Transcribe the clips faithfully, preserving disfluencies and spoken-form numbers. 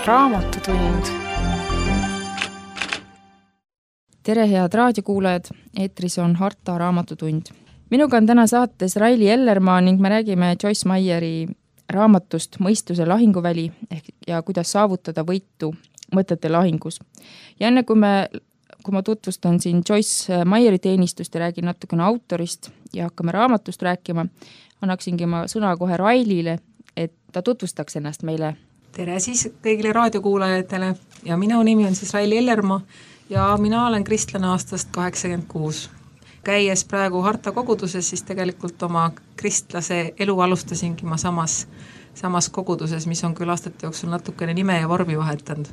Raamatutund. Tere head raadiokuulajad, eetris on Harta Raamatutund. Minuga on täna saates Raili Ellermaa ning me räägime Joyce Meyeri raamatust Mõistuse lahinguväli ehk ja kuidas saavutada võitu mõtete lahingus. Ja enne kui, me, kui ma tutvustan siin Joyce Meyeri teenistust ja räägin natukene autorist ja hakkame raamatust rääkima, annaksingi ma sõna kohe Railile, et ta tutvustaks ennast meile. Tere siis kõigile raadiokuulajatele ja minu nimi on siis Raili Ellermaa ja mina olen kristlane aastast kaheksakümmend kuus. Käies praegu Harta koguduses, siis tegelikult oma kristlase elu alustasingi ma samas, samas koguduses, mis on küll aastate jooksul natukene nime ja vormi vahetanud,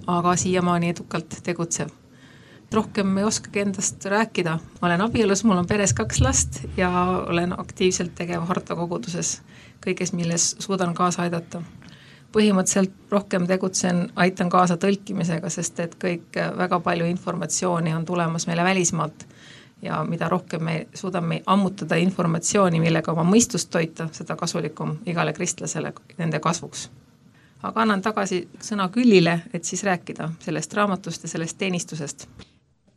aga siiamaani edukalt tegutsev. Rohkem ei oskagi endast rääkida. Ma olen abielus, mul on peres kaks last ja olen aktiivselt tegev Harta koguduses kõiges, milles suudan kaasa aidata. Põhimõtteliselt rohkem tegutsen, aitan kaasa tõlkimisega, sest et kõik väga palju informatsiooni on tulemas meile välismaalt ja mida rohkem me suudame ammutada informatsiooni, millega oma mõistust toita, seda kasulikum igale kristlasele nende kasvuks. Aga annan tagasi sõna Küllile, et siis rääkida sellest raamatust ja sellest teenistusest.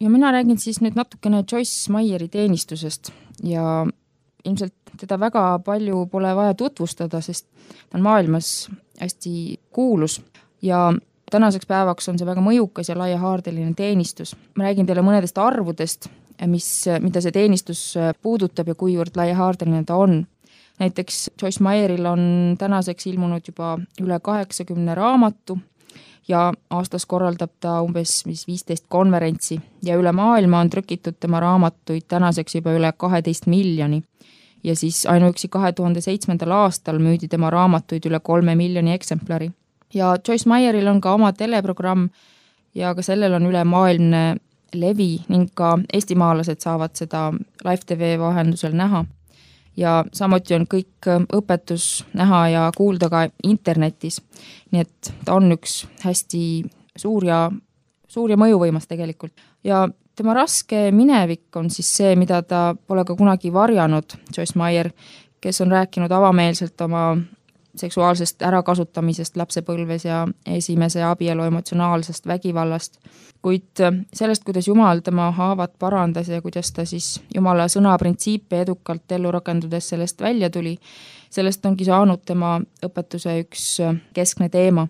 Ja mina räägin siis nüüd natukene Joyce Meyeri teenistusest ja ilmselt teda väga palju pole vaja tutvustada, sest ta on maailmas hästi kuulus ja tänaseks päevaks on see väga mõjukas ja laiahaardeline teenistus. Ma räägin teile mõnedest arvudest, mis, mida see teenistus puudutab ja kuivõrd laiahaardeline ta on. Näiteks Joyce Meyeril on tänaseks ilmunud juba üle kaheksakümne raamatu ja aastas korraldab ta umbes viisteist konverentsi ja üle maailma on trükitud tema raamatuid tänaseks juba üle kaheteist miljoni. Ja siis ainuüksi kahe tuhande seitsmendal aastal müüdi tema raamatuid üle kolme miljoni eksemplari. Ja Joyce Meyeril on ka oma teleprogramm ja ka sellel on üle maailmne levi ning ka eestimaalased saavad seda Live T V vahendusel näha. Ja samuti on kõik õpetus näha ja kuulda ka internetis. Nii et ta on üks hästi suur ja, suur ja mõjuvõimas tegelikult. Ja tema raske minevik on siis see, mida ta pole ka kunagi varjanud, Joyce Meyer, kes on rääkinud avameelselt oma seksuaalsest ärakasutamisest lapsepõlves ja esimese abielu emotsionaalsest vägivallast. Kuid sellest, kuidas Jumal tema haavad parandas ja kuidas ta siis Jumala sõna printsiipe edukalt ellu rakendudes sellest välja tuli, sellest ongi saanud tema õpetuse üks keskne teema.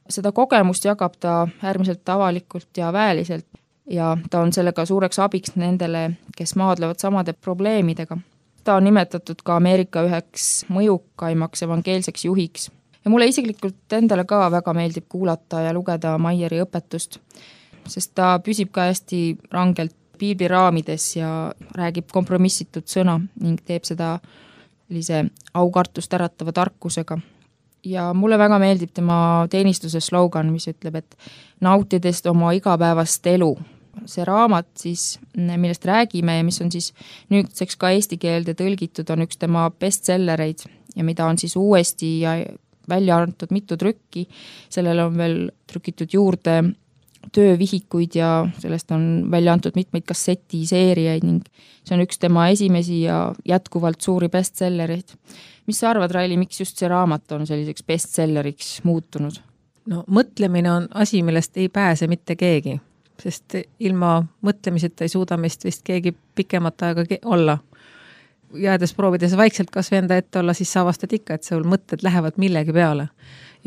Seda kogemust jagab ta äärmiselt avalikult ja väeliselt ja ta on sellega suureks abiks nendele, kes maadlevad samade probleemidega. Ta on nimetatud ka Ameerika üheks mõjukaimaks evangeelseks juhiks. Ja mulle isiklikult endale ka väga meeldib kuulata ja lugeda Meyeri õpetust, sest ta püsib ka hästi rangelt piibli raamides ja räägib kompromissitud sõna ning teeb seda sellise aukartust äratava tarkusega. Ja mulle väga meeldib tema teenistuse slogan, mis ütleb, et nautides oma igapäevast elu. See raamat siis, millest räägime ja mis on siis nüüdseks ka eesti keelde tõlgitud, on üks tema bestsellereid ja mida on siis uuesti ja välja antud mitu trükki. Sellele on veel trükitud juurde töövihikuid ja sellest on välja antud mitmeid kassetiseeriaid ning see on üks tema esimesi ja jätkuvalt suuri bestsellereid. Mis sa arvad, Raili, miks just see raamat on selliseks bestselleriks muutunud? No mõtlemine on asi, millest ei pääse mitte keegi, sest ilma mõtlemiseta ei suuda meist vist keegi pikemat aega olla. Jäädes proovides vaikselt kas venda ette olla, siis saavastad ikka, et sul mõtted lähevad millegi peale.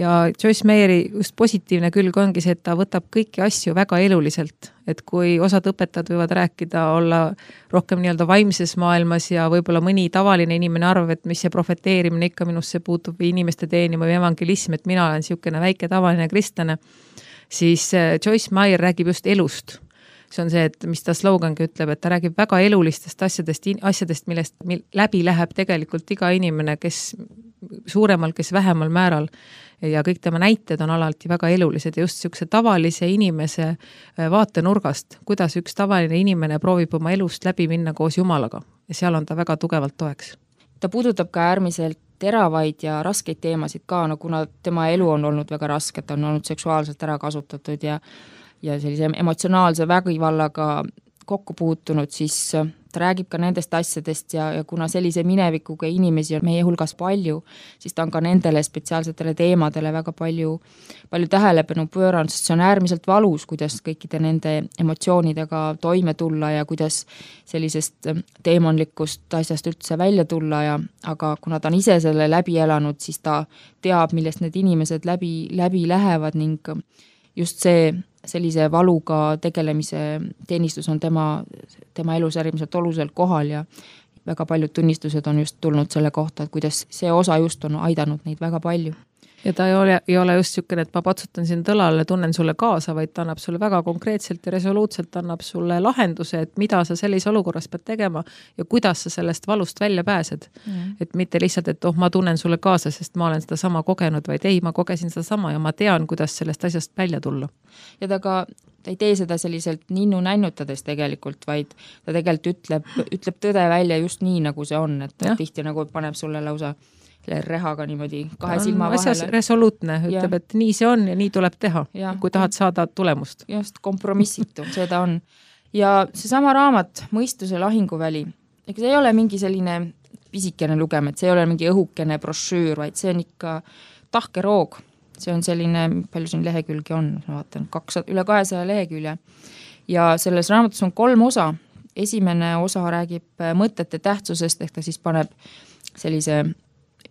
Ja Joyce Meyeri just positiivne külg ongi see, et ta võtab kõiki asju väga eluliselt. Et kui osad õpetajad võivad rääkida, olla rohkem nii-öelda vaimses maailmas ja võib-olla mõni tavaline inimene arvab, et mis see profeteerimine ikka minusse puutub või inimeste teenima või evangelism, et mina olen siukene väike tavaline kristlane, siis Joyce Meyer räägib just elust. See on see, et mis ta slogangi ütleb, et ta räägib väga elulistest asjadest, asjadest, millest läbi läheb tegelikult iga inimene, kes suuremal, kes vähemal määral. Ja kõik tema näited on alati väga elulised ja just siukse tavalise inimese vaatenurgast, kuidas üks tavaline inimene proovib oma elust läbi minna koos Jumalaga. Ja seal on ta väga tugevalt toeks. Ta puudutab ka äärmiselt teravaid ja raskeid teemasid ka, no kuna tema elu on olnud väga raske, ta on olnud seksuaalselt ära kasutatud ja, ja sellise emotsionaalse vägivallaga kokku puutunud, siis ta räägib ka nendest asjadest ja, ja kuna sellise minevikuga inimesi on meie hulgas palju, siis ta on ka nendele spetsiaalsetele teemadele väga palju, palju tähelepanu pööranud, sest see on äärmiselt valus, kuidas kõikide nende emotsioonidega toime tulla ja kuidas sellisest teemonlikust asjast üldse välja tulla ja aga kuna ta on ise selle läbi elanud, siis ta teab, millest need inimesed läbi, läbi lähevad ning just see sellise valuga tegelemise teenistus on tema, tema elus äärmiselt olulisel kohal ja väga paljud tunnistused on just tulnud selle kohta, et kuidas see osa just on aidanud neid väga palju. Ja ta ei ole, ei ole just niisugune, et ma patsutan siin tõlale, tunnen sulle kaasa, vaid ta annab sulle väga konkreetselt ja resoluutselt annab sulle lahenduse, et mida sa sellise olukorras pead tegema ja kuidas sa sellest valust välja pääsed. Mm. Et mitte lihtsalt, et oh, ma tunnen sulle kaasa, sest ma olen seda sama kogenud, vaid ei, ma kogesin seda sama ja ma tean, kuidas sellest asjast välja tulla. Ja ta ka ta ei tee seda selliselt ninnu nännutades tegelikult, vaid ta tegelikult ütleb, ütleb tõde välja just nii, nagu see on, et ja. Tihti nagu paneb sulle lausa rehaga niimoodi kahe silma vahele. Resoluutne, ütleb, ja. Et nii see on ja nii tuleb teha, ja. Kui tahad saada tulemust. Just, kompromissitu, seda on. Ja seesama raamat, Mõistuse lahinguväli, ega see ei ole mingi selline pisikene lugemet, see ei ole mingi õhukene brošüür, vaid see on ikka tahke roog. See on selline, palju siin lehekülgi on, ma vaatan, kakssada, üle kahesaja lehekülje. Ja selles raamatus on kolm osa. Esimene osa räägib mõtete tähtsusest, ehk ta siis paneb sellise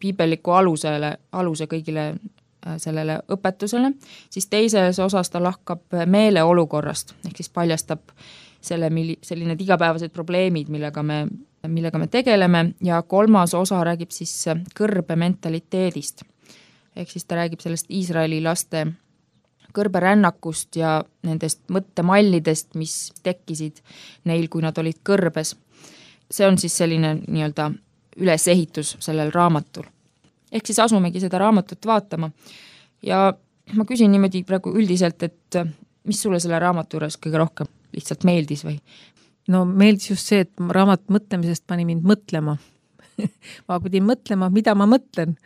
piibelliku alusele, aluse kõigile sellele õpetusele, siis teises osas ta lahkab meeleolukorrast, ehk siis paljastab selle, selline igapäevased probleemid, millega me, millega me tegeleme ja kolmas osa räägib siis kõrbe mentaliteedist. Ehk siis ta räägib sellest Iisraeli laste kõrberännakust ja nendest mõttemallidest, mis tekkisid neil, kui nad olid kõrbes. See on siis selline nii-öelda ülesehitus sellel raamatul. Ehk siis asumegi seda raamatut vaatama. Ja ma küsin niimoodi praegu üldiselt, et mis sulle selle raamatu juures kõige rohkem lihtsalt meeldis või? No meeldis just see, et raamat mõtlemisest pani mind mõtlema. ma pidin mõtlema, mida ma mõtlen.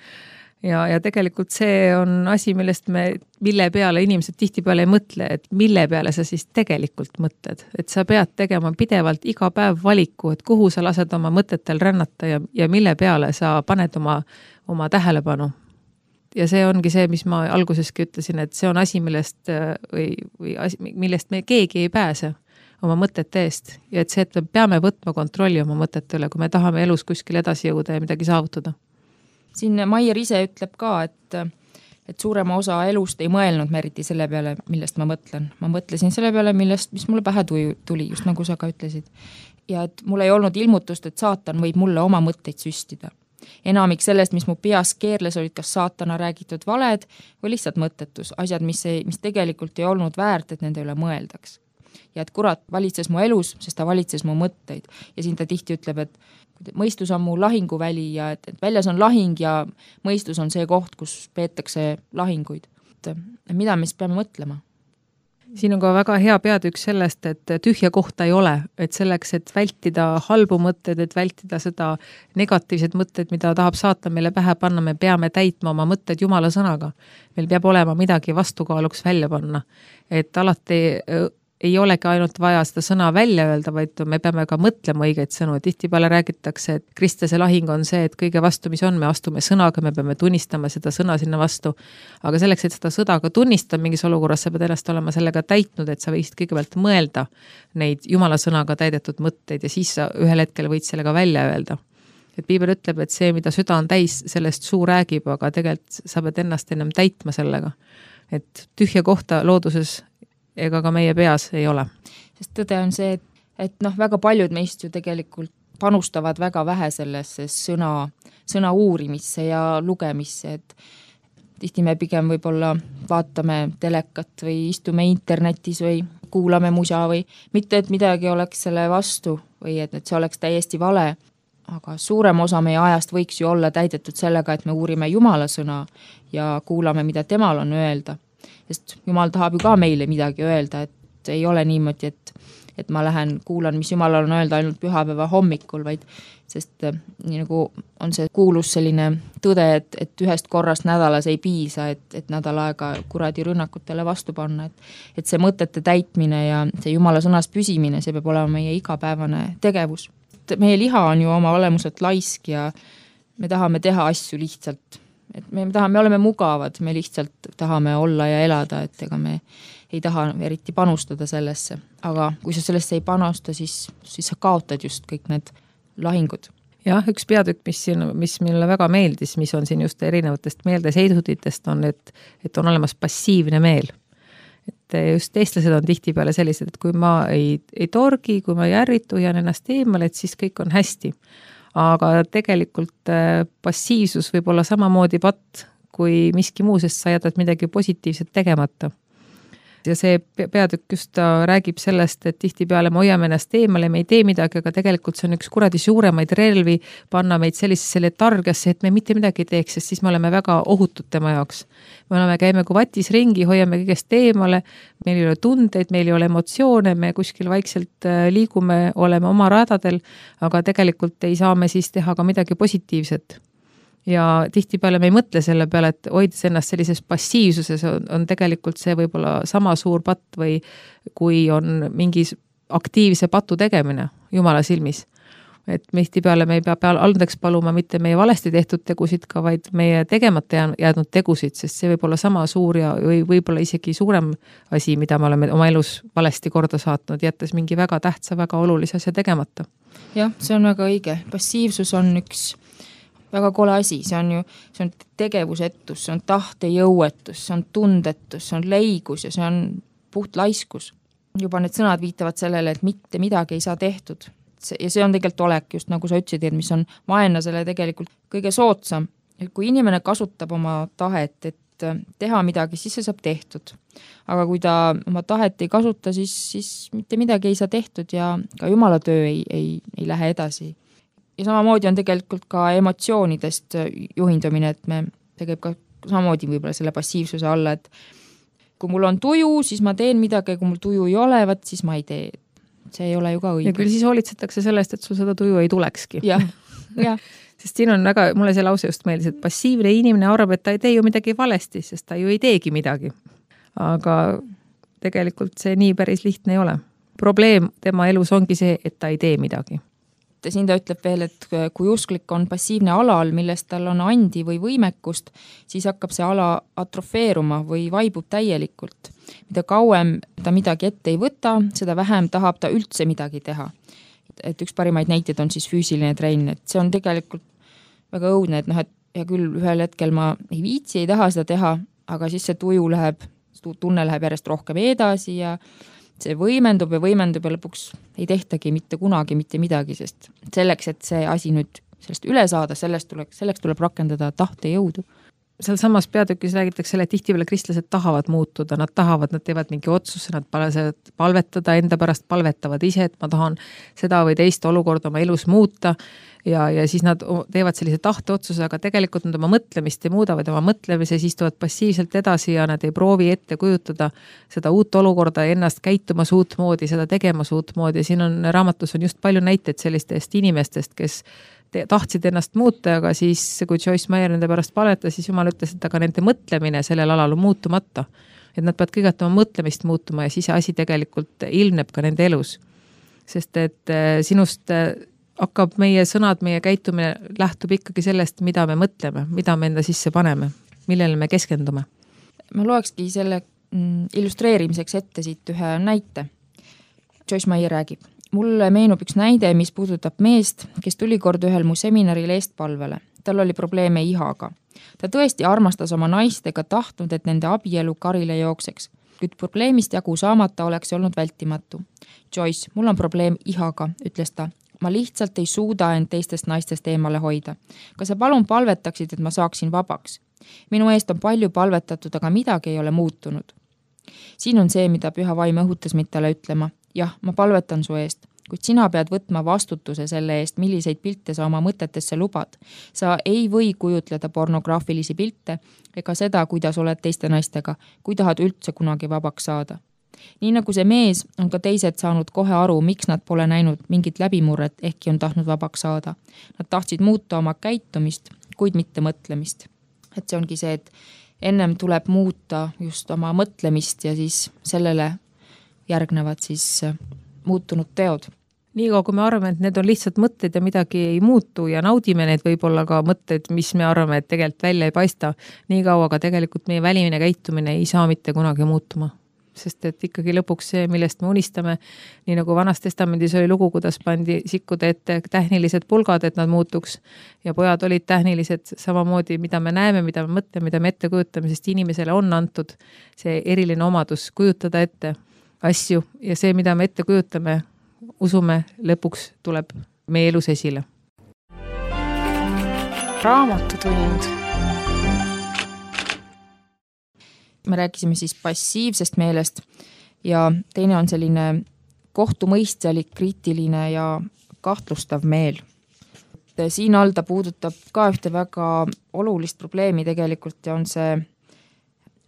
Ja, ja tegelikult see on asi, millest me, mille peale inimesed tihtipeale ei mõtle, et mille peale sa siis tegelikult mõtled. Et sa pead tegema pidevalt iga päev valiku, et kuhu sa lased oma mõtetel rännata ja, ja mille peale sa paned oma, oma tähelepanu. Ja see ongi see, mis ma alguseski ütlesin, et see on asi, millest, või, või asi, millest me keegi ei pääse oma mõtete eest. Ja et see, et me peame võtma kontrolli oma mõtete üle, kui me tahame elus kuskil edasi jõuda ja midagi saavutada. Siin Maier ise ütleb ka, et, et suurema osa elust ei mõelnud me eriti selle peale, millest ma mõtlen. Ma mõtlesin selle peale, millest, mis mulle pähe tuli, just nagu sa ka ütlesid. Ja et mul ei olnud ilmutust, et saatan võib mulle oma mõtteid süstida. Enamik sellest, mis mu peas keerles, olid kas saatana räägitud valed või lihtsalt mõttetus, asjad, mis, ei, mis tegelikult ei olnud väärt, et nende üle mõeldaks. Ja et kurat valitses mu elus, sest ta valitses mu mõtteid. Ja siin ta tihti ütleb, et mõistus on mu lahinguväli ja et, et väljas on lahing ja mõistus on see koht, kus peetakse lahinguid. Et mida me siis peame mõtlema? Siin on ka väga hea peatükk sellest, et tühja kohta ei ole, et selleks, et vältida halbu mõtteid, et vältida seda negatiivset mõtteid, mida tahab saata meile pähe panna, me peame täitma oma mõtteid Jumala sõnaga. Meil peab olema midagi vastukaaluks välja panna. Et alati ei olegi ainult vaja seda sõna välja öelda, vaid me peame ka mõtlema õigeid sõnu. Tihtipeale räägitakse, et kristlase lahing on see, et kõige vastu, mis on, me astume sõnaga, me peame tunnistama seda sõna sinna vastu. Aga selleks, et seda sõda ka tunnistada mingis olukorras, sa pead ennast olema sellega täitnud, et sa võisid kõigepealt mõelda neid Jumala sõnaga täidetud mõtteid ja siis sa ühel hetkel võid sellega välja öelda. Et piibel ütleb, et see, mida süda on täis, sellest suu räägib, aga tegelikult sa pead ennast ennem täitma sellega. Et tühja kohta looduses ega ka meie peas ei ole. Sest tõde on see, et, et noh, väga paljud meist ju tegelikult panustavad väga vähe sellesse sõna, sõna uurimisse ja lugemisse, et tihti me pigem võib-olla vaatame telekat või istume internetis või kuulame musa või mitte, et midagi oleks selle vastu või et, et see oleks täiesti vale, aga suurem osa meie ajast võiks ju olla täidetud sellega, et me uurime Jumala sõna ja kuulame, mida temal on öelda. Sest Jumal tahab ju ka meile midagi öelda, et ei ole niimoodi, et, et ma lähen, kuulan, mis Jumalal on öelda ainult pühapäeva hommikul, vaid sest nii nagu on see kuulus selline tõde, et, et ühest korrast nädalas ei piisa, et, et nädal aega kuradi rünnakutele vastu panna, et, et see mõtete täitmine ja see Jumala sõnas püsimine, see peab olema meie igapäevane tegevus. et meie liha on ju oma olemuselt laisk ja me tahame teha asju lihtsalt. Et me tahame, me oleme mugavad, me lihtsalt tahame olla ja elada, et ega me ei taha eriti panustada sellesse. Aga kui sa sellesse ei panusta, siis, siis sa kaotad just kõik need lahingud. Jah, üks peatükk, mis, siin, mis mulle väga meeldis, mis on siin just erinevatest meeldeseiduditest, on, et, et on olemas passiivne meel. Et just eestlased on tihtipeale sellised, et kui ma ei, ei torgi, kui ma ei ärritu, jään ennast eemale, et siis kõik on hästi. Aga tegelikult passiivsus võib olla samamoodi patt kui miski muu, sest sa jätad midagi positiivset tegemata. Ja see peatükk just räägib sellest, et tihtipeale me hoiame ennast eemale, me ei tee midagi, aga tegelikult see on üks kuradi suuremaid relvi panna meid sellisesse letargiasse, et me mitte midagi ei teeks, sest siis me oleme väga ohutud tema jaoks. Me oleme, käime kui vatis ringi, hoiame kõigest eemale, meil ei ole tundeid, meil ei ole emotsioone, me kuskil vaikselt liigume, oleme oma radadel, aga tegelikult ei saa me siis teha ka midagi positiivset. Ja tihtipeale me ei mõtle selle peale, et hoides ennast sellises passiivsuses on, on tegelikult see võib-olla sama suur patt või kui on mingi aktiivse patu tegemine Jumala silmis. Et tihtipeale me ei pea peal andeks paluma mitte meie valesti tehtud tegusid ka, vaid meie tegemata jäädnud tegusid, sest see võib olla sama suur ja või võib-olla isegi suurem asi, mida me oleme oma elus valesti korda saatnud, jättes mingi väga tähtsa, väga olulise asja tegemata. Jah, see on väga õige. Passiivsus on üks väga kole asi, see on ju see on tegevusetus, see on tahtejõuetus, see on tundetus, see on leigus ja see on puht laiskus. Juba need sõnad viitavad sellele, et mitte midagi ei saa tehtud. Ja see on tegelikult olek, just nagu sa ütlesid, mis on vaenlasele tegelikult kõige soodsam. Et kui inimene kasutab oma tahet, et teha midagi, siis see saab tehtud. Aga kui ta oma tahet ei kasuta, siis, siis mitte midagi ei saa tehtud ja ka Jumala töö ei, ei, ei lähe edasi. Ja samamoodi on tegelikult ka emotsioonidest juhindumine, et me tegeb ka samamoodi võib-olla selle passiivsuse alla, et kui mul on tuju, siis ma teen midagi, kui mul tuju ei ole, võt, siis ma ei tee. See ei ole ju ka õige. Ja küll siis hoolitsetakse sellest, et sul seda tuju ei tulekski. Jah, jah. Sest siin on väga, mulle see lause just meeldis, et passiivne inimene arvab, et ta ei tee ju midagi valesti, sest ta ju ei teegi midagi. Aga tegelikult see nii päris lihtne ei ole. Probleem tema elus ongi see, et ta ei tee midagi. Siin ta ütleb veel, et kui usklik on passiivne alal, millest tal on andi või võimekust, siis hakkab see ala atrofeeruma või vaibub täielikult. Mida kauem ta midagi ette ei võta, seda vähem tahab ta üldse midagi teha. Et üks parimaid näiteid on siis füüsiline trein, et see on tegelikult väga õudne, et noh, et ja küll ühel hetkel ma ei viitsi, ei taha seda teha, aga siis see tuju läheb, tunne läheb järjest rohkem edasi ja see võimendub ja võimendub ja lõpuks ei tehtagi mitte kunagi mitte midagi, sest selleks, et see asi nüüd sellest üle saada, sellest tuleks, selleks tuleb rakendada tahtejõudu. Seal samas peatükis räägitakse selle, et tihtipeale kristlased tahavad muutuda, nad tahavad, nad teevad mingi otsuse, nad palvetada, enda pärast palvetavad ise, et ma tahan seda või teist olukorda oma elus muuta ja, ja siis nad teevad sellise tahteotsuse, aga tegelikult nad oma mõtlemist ei muuda, vaid oma mõtlemise siis tulevad passiivselt edasi ja nad ei proovi ette kujutada seda uut olukorda, ennast käitumas uutmoodi, seda tegemas uutmoodi. Siin on raamatus on just palju näiteid sellistest inimestest, kes tahtsid ennast muuta, aga siis kui Joyce Meyer nende pärast palvetas, siis Jumal ütles, et aga nende mõtlemine sellel alal on muutumata. Et nad peavad kõigepealt oma mõtlemist muutuma ja siis asi tegelikult ilmneb ka nende elus. Sest et sinust hakkab meie sõnad, meie käitumine lähtub ikkagi sellest, mida me mõtleme, mida me enda sisse paneme, millele me keskendume. Ma loekski selle illustreerimiseks ette siit ühe näite. Joyce Meyer räägib. Mulle meenub üks näide, mis puudutab meest, kes tuli kord ühel mu seminaril eestpalvele. Tal oli probleeme ihaga. Ta tõesti armastas oma naist ega tahtnud, et nende abielu karile jookseks. Kuid probleemist jagu saamata oleks olnud vältimatu. Joyce, mul on probleem ihaga, ütles ta. Ma lihtsalt ei suuda end teistest naistest eemale hoida. Kas sa palun palvetaksid, et ma saaksin vabaks? Minu eest on palju palvetatud, aga midagi ei ole muutunud. Siin on see, mida Püha Vaim õhutas mind talle ütlema. Jah, ma palvetan su eest, kuid sina pead võtma vastutuse selle eest, milliseid pilte sa oma mõtetesse lubad. Sa ei või kujutleda pornograafilisi pilte ega seda, kuidas oled teiste naistega, kui tahad üldse kunagi vabaks saada. Nii nagu see mees on ka teised saanud kohe aru, miks nad pole näinud mingit läbimurret, ehkki on tahtnud vabaks saada. Nad tahtsid muuta oma käitumist, kuid mitte mõtlemist. Et see ongi see, et ennem tuleb muuta just oma mõtlemist ja siis sellele järgnevad siis muutunud teod. niikaua, kui me arvame, et need on lihtsalt mõtted ja midagi ei muutu ja naudime need võib-olla ka mõtted, mis me arvame, et tegelikult välja ei paista, niikaua ka tegelikult meie välimine käitumine ei saa mitte kunagi muutuma. Sest et ikkagi lõpuks see, millest me unistame, nii nagu Vanas Testamendis oli lugu, kuidas pandi sikkude ette tähnilised pulgad, et nad muutuks ja pojad olid tähnilised samamoodi, mida me näeme, mida me mõtleme, mida me ette kujutame, sest inimesele on antud see eriline omadus kujutada ette asju ja see, mida me ette kujutame, usume, lõpuks tuleb meie elus esile. Raamatutund. Me rääkisime siis passiivsest meelest ja teine on selline kohtumõistjalik, kriitiline ja kahtlustav meel. Siin all ta puudutab ka ühte väga olulist probleemi tegelikult ja on see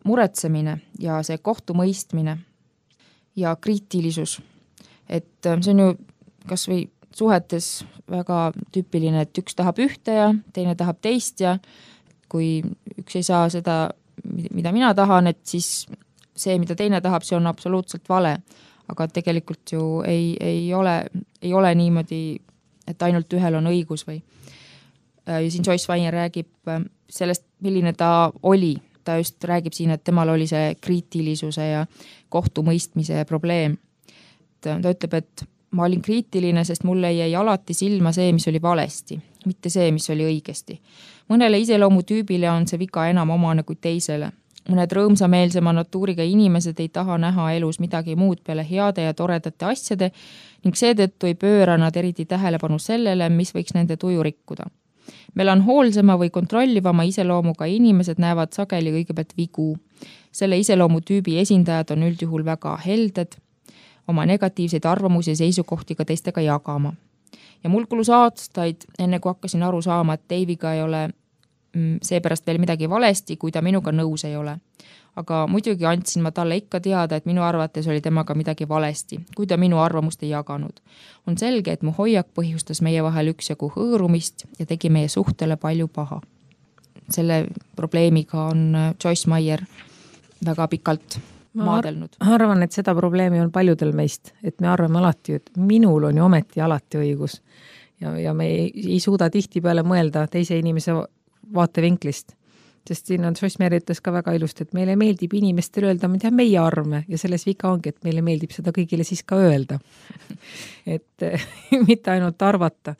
muretsemine ja see kohtumõistmine ja kriitilisus. Et see on ju kas või suhetes väga tüüpiline, et üks tahab ühte ja teine tahab teist ja kui üks ei saa seda mida mina tahan, et siis see, mida teine tahab, see on absoluutselt vale. Aga tegelikult ju ei, ei, ole, ei ole niimoodi, et ainult ühel on õigus või. Ja siin Joyce Meyer räägib sellest, milline ta oli. Ta just räägib siin, et temal oli see kriitilisuse ja kohtumõistmise probleem. Ta ütleb, et ma olin kriitiline, sest mulle jäi alati silma see, mis oli valesti, mitte see, mis oli õigesti. Mõnele iseloomutüübile on see viga enam omane kui teisele. Mõned rõõmsameelsema natuuriga inimesed ei taha näha elus midagi muud peale heade ja toredate asjade ning seetõttu ei pööra nad eriti tähelepanu sellele, mis võiks nende tuju rikkuda. Melanhoolsema või kontrollivama iseloomuga inimesed näevad sageli kõigepealt vigu. Selle iseloomutüübi esindajad on üldjuhul väga helded, oma negatiivseid arvamusi ja seisukohti ka teistega jagama. Ja mul kulus aastaid, enne kui hakkasin aru saama, et Daviga ei ole seepärast veel midagi valesti, kui ta minuga nõus ei ole. Aga muidugi andsin ma talle ikka teada, et minu arvates oli temaga midagi valesti, kui ta minu arvamust ei jaganud. On selge, et mu hoiak põhjustas meie vahel üksjagu hõõrumist ja tegi meie suhtele palju paha. Selle probleemiga on Joyce Meyer väga pikalt maadelnud. Ma arvan, et seda probleemi on paljudel meist, et me arvame alati, et minul on ju ometi alati õigus ja, ja me ei, ei suuda tihti peale mõelda teise inimese vaatevinklist, sest siin on Joyce Meyer ütles ka väga ilusti, et meile meeldib inimestel öelda, mida meie arvame ja selles viga ongi, et meile meeldib seda kõigile siis ka öelda. Et mitte ainult arvata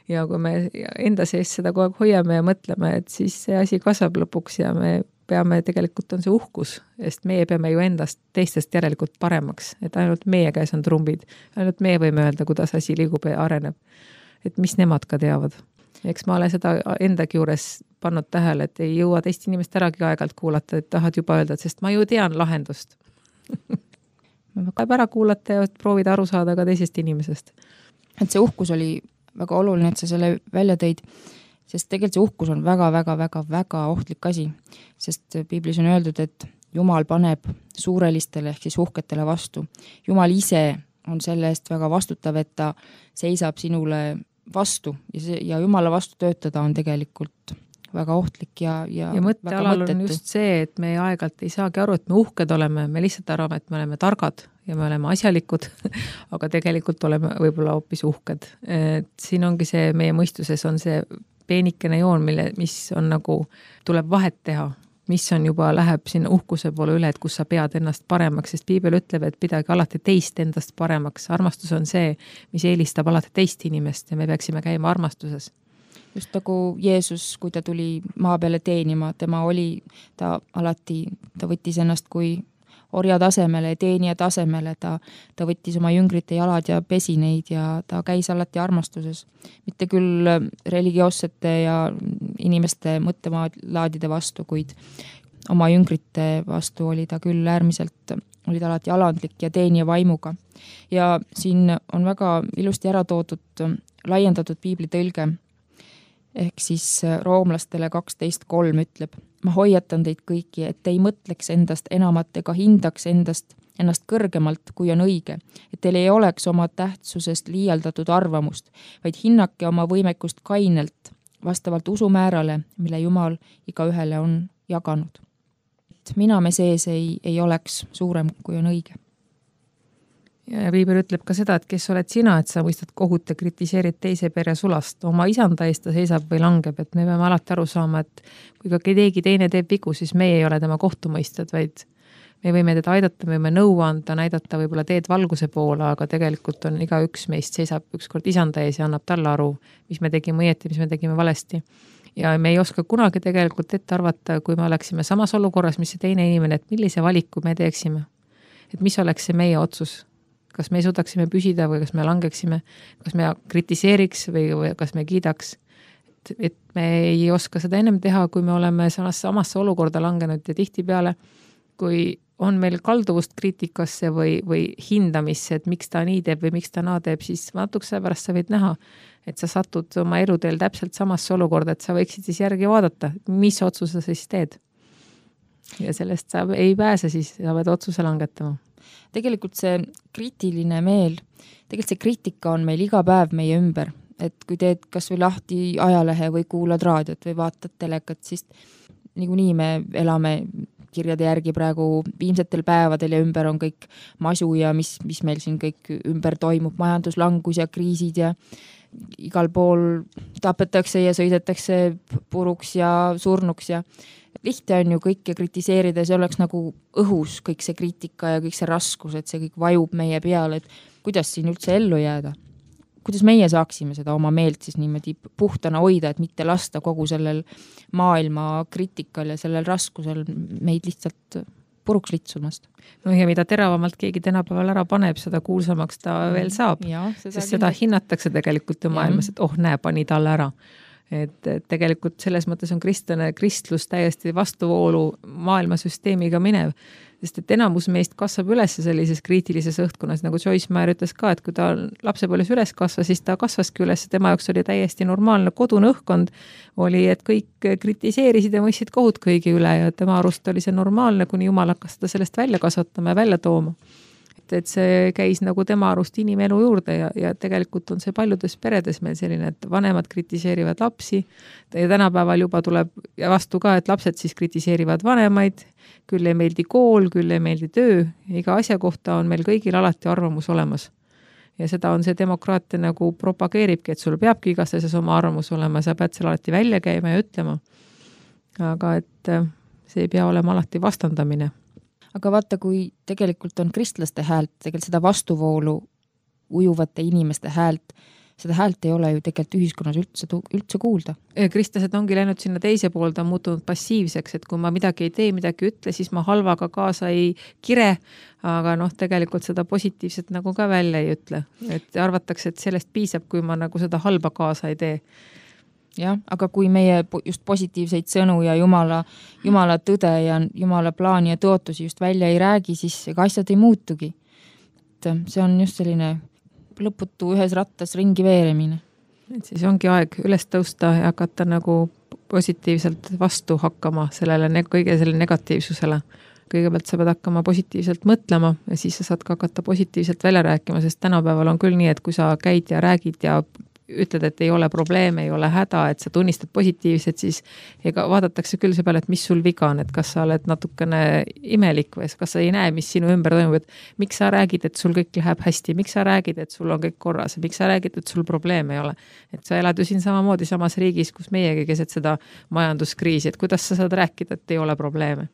ja kui me enda sees seda kogu aeg hoiame ja mõtleme, et siis see asi kasvab lõpuks ja me peame, tegelikult on see uhkus, sest meie peame ju endast teistest järelikult paremaks, et ainult meie käes on trumbid, ainult meie võime öelda, kuidas asi liigub ja areneb, et mis nemad ka teavad. Eks ma olen seda endagi juures pannud tähele, et ei jõua teist inimest äragi aegalt kuulata, et tahad juba öelda, sest ma ju tean lahendust. Peab ära kuulata ja proovida aru saada ka teisest inimesest. Et see uhkus oli väga oluline, et sa selle välja tõid, sest tegelikult see uhkus on väga-väga-väga-väga ohtlik asi, sest piiblis on öeldud, et Jumal paneb suurelistele ehk siis uhketele vastu. Jumal ise on selle eest väga vastutav, et ta seisab sinule vastu ja, see, ja Jumala vastu töötada on tegelikult väga ohtlik ja, ja, ja mõttealal on just see, et me aegalt ei saagi aru, et me uhked oleme, me lihtsalt arvame, et me oleme targad ja me oleme asjalikud, aga tegelikult oleme võib-olla hoopis uhked. Et siin ongi see, meie mõistuses on see peenikene joon, mille, mis on nagu, tuleb vahet teha, mis on juba, läheb sinna uhkuse poole üle, et kus sa pead ennast paremaks, sest piibel ütleb, et pidagi alati teist endast paremaks. Armastus on see, mis eelistab alati teist inimest ja me peaksime käima armastuses. Just nagu Jeesus, kui ta tuli maa peale teenima, tema oli, ta alati, ta võttis ennast kui orja tasemele ja teenija tasemele, ta, ta võttis oma jüngrite jalad ja pesi neid ja ta käis alati armastuses. Mitte küll religioossete ja inimeste mõttelaadide vastu, kuid oma jüngrite vastu oli ta küll äärmiselt, oli ta alati alandlik ja teenija vaimuga. Ja siin on väga ilusti ära toodud laiendatud piibli tõlge, ehk siis roomlastele kaksteist kolm ütleb, ma hoiatan teid kõiki, et ei mõtleks endast enamat ega hindaks endast, ennast kõrgemalt, kui on õige, et teil ei oleks oma tähtsusest liialdatud arvamust, vaid hinnake oma võimekust kainelt, vastavalt usumäärale, mille Jumal iga ühele on jaganud. Et mina me sees ei, ei oleks suurem, kui on õige. ja Viiber ütleb ka seda, et kes oled sina, et sa mõistad kohut ja kritiseerid teise pere sulast. Oma isanda eest ta seisab või langeb, et me peame alati aru saama, et kui ka keegi teine teeb vigu, siis meie ei ole tema kohtumõistjad, vaid me võime teda aidata, me võime nõu anda, näidata võib-olla teed valguse poole, aga tegelikult on iga üks meist seisab ükskord isanda ees ja annab talle aru, mis me tegime õieti, mis me tegime valesti. Ja me ei oska kunagi tegelikult ette arvata, kui me oleksime samas olukorras, mis see teine inimene, et millise valiku me teeksime. Et mis oleks see meie otsus? Kas me suudaksime püsida või kas me langeksime, kas me kritiseeriks või, või kas me kiidaks. Et, et me ei oska seda ennem teha, kui me oleme samasse, samasse olukorda langenud ja tihti peale, kui on meil kalduvust kriitikasse või, või hindamisse, et miks ta nii teeb või miks ta naa teeb, siis natukese pärast sa võid näha, et sa satud oma eluteel täpselt samasse olukorda, et sa võiksid siis järgi vaadata, mis otsuse sa siis teed. Ja sellest sa ei pääse siis, sa pead otsuse langetama. Tegelikult see kriitiline meel, tegelikult see kriitika on meil iga päev meie ümber, et kui teed kas või lahti ajalehe või kuulad raadiot või vaatad telekat, siis niikuinii me elame kirjade järgi praegu viimsetel päevadel ja ümber on kõik masu ja mis, mis meil siin kõik ümber toimub, majanduslangus ja kriisid ja igal pool tapetakse ja sõidetakse puruks ja surnuks ja lihtne on ju kõike kritiseerida, see oleks nagu õhus kõik see kriitika ja kõik see raskus, et see kõik vajub meie peale, et kuidas siin üldse ellu jääda. Kuidas meie saaksime seda oma meelt siis niimoodi puhtana hoida, et mitte lasta kogu sellel maailma kriitikal ja sellel raskusel meid lihtsalt puruks litsumast. No ja mida teravamalt keegi tänapäeval ära paneb, seda kuulsamaks ta veel saab, ja, seda sest seda hinnatakse tegelikult ju maailmas, et oh näe, pani talle ära. Et tegelikult selles mõttes on kristlane kristlus täiesti vastuvoolu maailmasüsteemiga minev, sest et enamus meist kasvab üles sellises kriitilises õhtkonnas, nagu Joyce Meyer ütles ka, et kui ta lapsepõlves üles kasvas, siis ta kasvaski üles, tema jaoks oli täiesti normaalne kodune õhkkond, oli, et kõik kritiseerisid ja mõistsid kohut kõigi üle ja tema arust oli see normaalne, kuni Jumal hakkas seda sellest välja kasvatama ja välja tooma. Et see käis nagu tema arust inimelu juurde ja, ja tegelikult on see paljudes peredes meil selline, et vanemad kritiseerivad lapsi ja tänapäeval juba tuleb vastu ka, et lapsed siis kritiseerivad vanemaid, küll ei meeldi kool, küll ei meeldi töö, iga asja kohta on meil kõigil alati arvamus olemas. Ja seda on see demokraatia nagu propageeribki, et sul peabki igas asjas oma arvamus olema, sa pead seal alati välja käima ja ütlema. Aga et see ei pea olema alati vastandamine. Aga vaata, kui tegelikult on kristlaste häält, tegelikult seda vastuvoolu ujuvate inimeste häält, seda häält ei ole ju tegelikult ühiskonnas üldse, üldse kuulda. Kristlased ongi läinud sinna teise poolda, on muutunud passiivseks, et kui ma midagi ei tee, midagi ütle, siis ma halvaga kaasa ei kire, aga noh, tegelikult seda positiivset nagu ka välja ei ütle. Et arvatakse, et sellest piisab, kui ma nagu seda halba kaasa ei tee. Jah, aga kui meie just positiivseid sõnu ja Jumala, Jumala tõde ja Jumala plaani ja tõotusi just välja ei räägi, siis ega asjad ei muutugi. Et see on just selline lõputu ühes rattas ringi veeremine. Et siis ongi aeg üles tõusta ja hakata nagu positiivselt vastu hakkama sellele kõige selle negatiivsusele. Kõigepealt sa pead hakkama positiivselt mõtlema ja siis sa saad ka hakata positiivselt välja rääkima, sest tänapäeval on küll nii, et kui sa käid ja räägid ja ütled, et ei ole probleeme, ei ole häda, et sa tunnistad positiivselt, siis ega vaadatakse küll see peale, et mis sul viga on, et kas sa oled natukene imelik või kas sa ei näe, mis sinu ümber toimub, et miks sa räägid, et sul kõik läheb hästi, miks sa räägid, et sul on kõik korras, miks sa räägid, et sul probleeme ei ole. Et sa elad ju siin samamoodi samas riigis, kus meiegi keset seda majanduskriisi, et kuidas sa saad rääkida, et ei ole probleeme.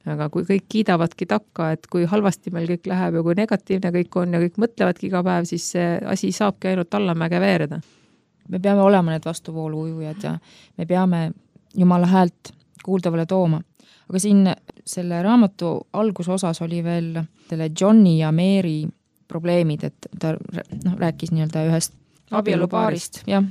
Aga kui kõik kiidavadki takka, et kui halvasti meil kõik läheb ja kui negatiivne kõik on ja kõik mõtlevadki iga päev, siis see asi saabki ainult allamäge veereda. Me peame olema need vastuvoolu ujujad ja me peame Jumala häält kuuldavale tooma. Aga siin selle raamatu algusosas oli veel selle Johnny ja Mary probleemid, et ta no, rääkis nii-öelda ühest abielupaarist. Ja.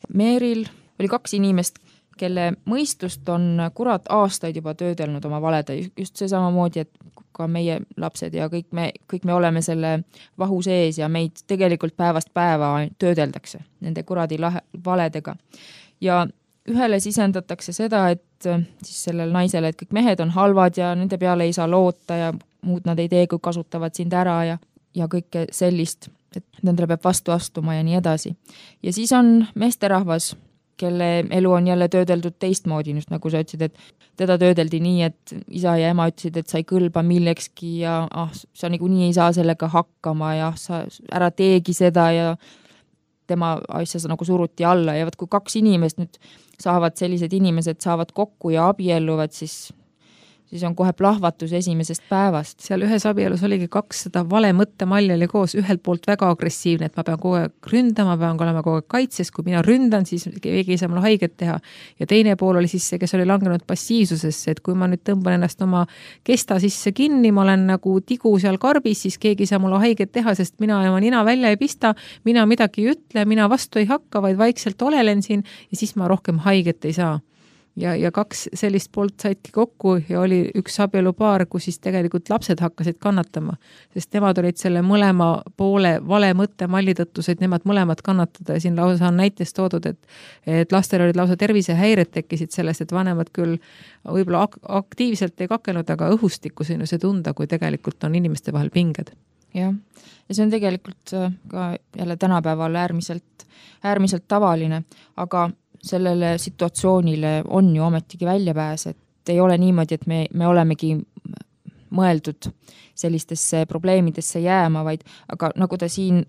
Maryl oli kaks inimest, kelle mõistust on kurat aastaid juba töödelnud oma valede. Just see samamoodi, et ka meie lapsed ja kõik me, kõik me oleme selle vahu sees ja meid tegelikult päevast päeva töödeldakse nende kuradi lahe, valedega. Ja ühele sisendatakse seda, et siis sellel naisele, et kõik mehed on halvad ja nende peale ei saa loota ja muud nad ei tee, kui kasutavad sind ära ja, ja kõike sellist, et nendele peab vastu astuma ja nii edasi. Ja siis on meesterahvas, kelle elu on jälle töödeldud teistmoodi, just nagu sa ütlesid, et teda töödeldi nii, et isa ja ema ütlesid, et sa ei kõlba millekski ja ah, sa niikuinii ei saa sellega hakkama ja sa ära teegi seda ja tema asja nagu suruti alla ja võt, kui kaks inimest nüüd saavad, sellised inimesed saavad kokku ja abielluvad, siis siis on kohe plahvatus esimesest päevast. Seal ühes abielus oligi kaks seda vale mõttemalli oli koos, ühelt poolt väga agressiivne, et ma pean kogu aeg ründama, pean olema kogu aeg kaitses, kui mina ründan, siis keegi ei saa mulle haiget teha. Ja teine pool oli siis see, kes oli langenud passiivsusesse, et kui ma nüüd tõmban ennast oma kesta sisse kinni, ma olen nagu tigu seal karbis, siis keegi ei saa mulle haiget teha, sest mina ja ma nina välja ei pista, mina midagi ei ütle, mina vastu ei hakka, vaid vaikselt olelen siin ja siis ma rohkem haiget ei saa. Ja, ja kaks sellist poolt saidki kokku ja oli üks abielupaar, kus siis tegelikult lapsed hakkasid kannatama, sest nemad olid selle mõlema poole vale mõtte malli tõttu, said nemad mõlemad kannatada ja siin lausa on näitest toodud, et, et lastel olid lausa tervisehäired tekkisid sellest, et vanemad küll võib-olla ak- aktiivselt ei kakelnud, aga õhustikku siin see tunda, kui tegelikult on inimeste vahel pinged. Jah, ja see on tegelikult ka jälle tänapäeval äärmiselt, äärmiselt tavaline, aga sellele situatsioonile on ju ometigi väljapääs, et ei ole niimoodi, et me, me olemegi mõeldud sellistesse probleemidesse jääma, vaid aga nagu ta siin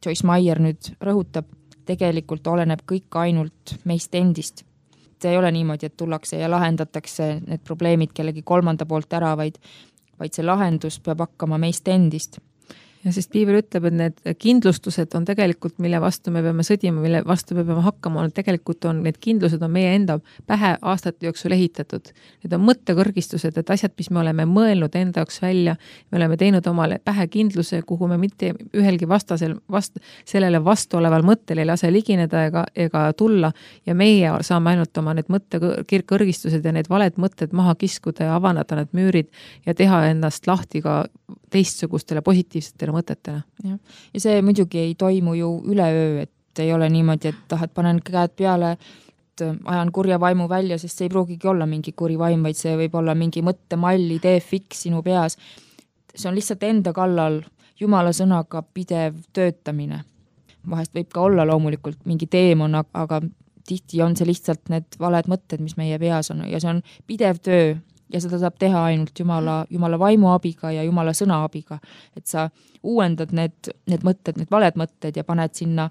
Joyce Meyer nüüd rõhutab, tegelikult oleneb kõik ainult meist endist. Et ei ole niimoodi, et tullakse ja lahendatakse need probleemid kellegi kolmanda poolt ära, vaid, vaid see lahendus peab hakkama meist endist. Ja sest piibel ütleb, et need kindlustused on tegelikult, mille vastu me peame sõdima, mille vastu me peame hakkama, on tegelikult on, need kindlused on meie enda pähe aastate jooksul ehitatud. Need on mõttekõrgistused, et asjad, mis me oleme mõelnud enda jaoks välja, me oleme teinud omale pähe kindluse, kuhu me mitte ühelgi vastasel, vast, sellele vastu oleval mõttel ei lase ligineda ega, ega tulla ja meie saame ainult oma need mõttekõrgistused ja need valed mõtted maha kiskuda ja avanada need müürid ja teha ennast lahti ka teistsugustele positiivsetele mõtetele. Ja. ja see muidugi ei toimu ju üleöö, et ei ole niimoodi, et tahat panen käed peale, et ajan kurja vaimu välja, sest see ei pruugigi olla mingi kuri vaim, vaid see võib olla mingi mõttemall, idee fiks sinu peas. See on lihtsalt enda kallal Jumala sõnaga pidev töötamine. Vahest võib ka olla loomulikult mingi teemon, aga tihti on see lihtsalt need valed mõtted, mis meie peas on ja see on pidev töö ja seda saab teha ainult Jumala, Jumala vaimu abiga ja Jumala sõna abiga, et sa uuendad need, need mõtted, need valed mõtted ja paned sinna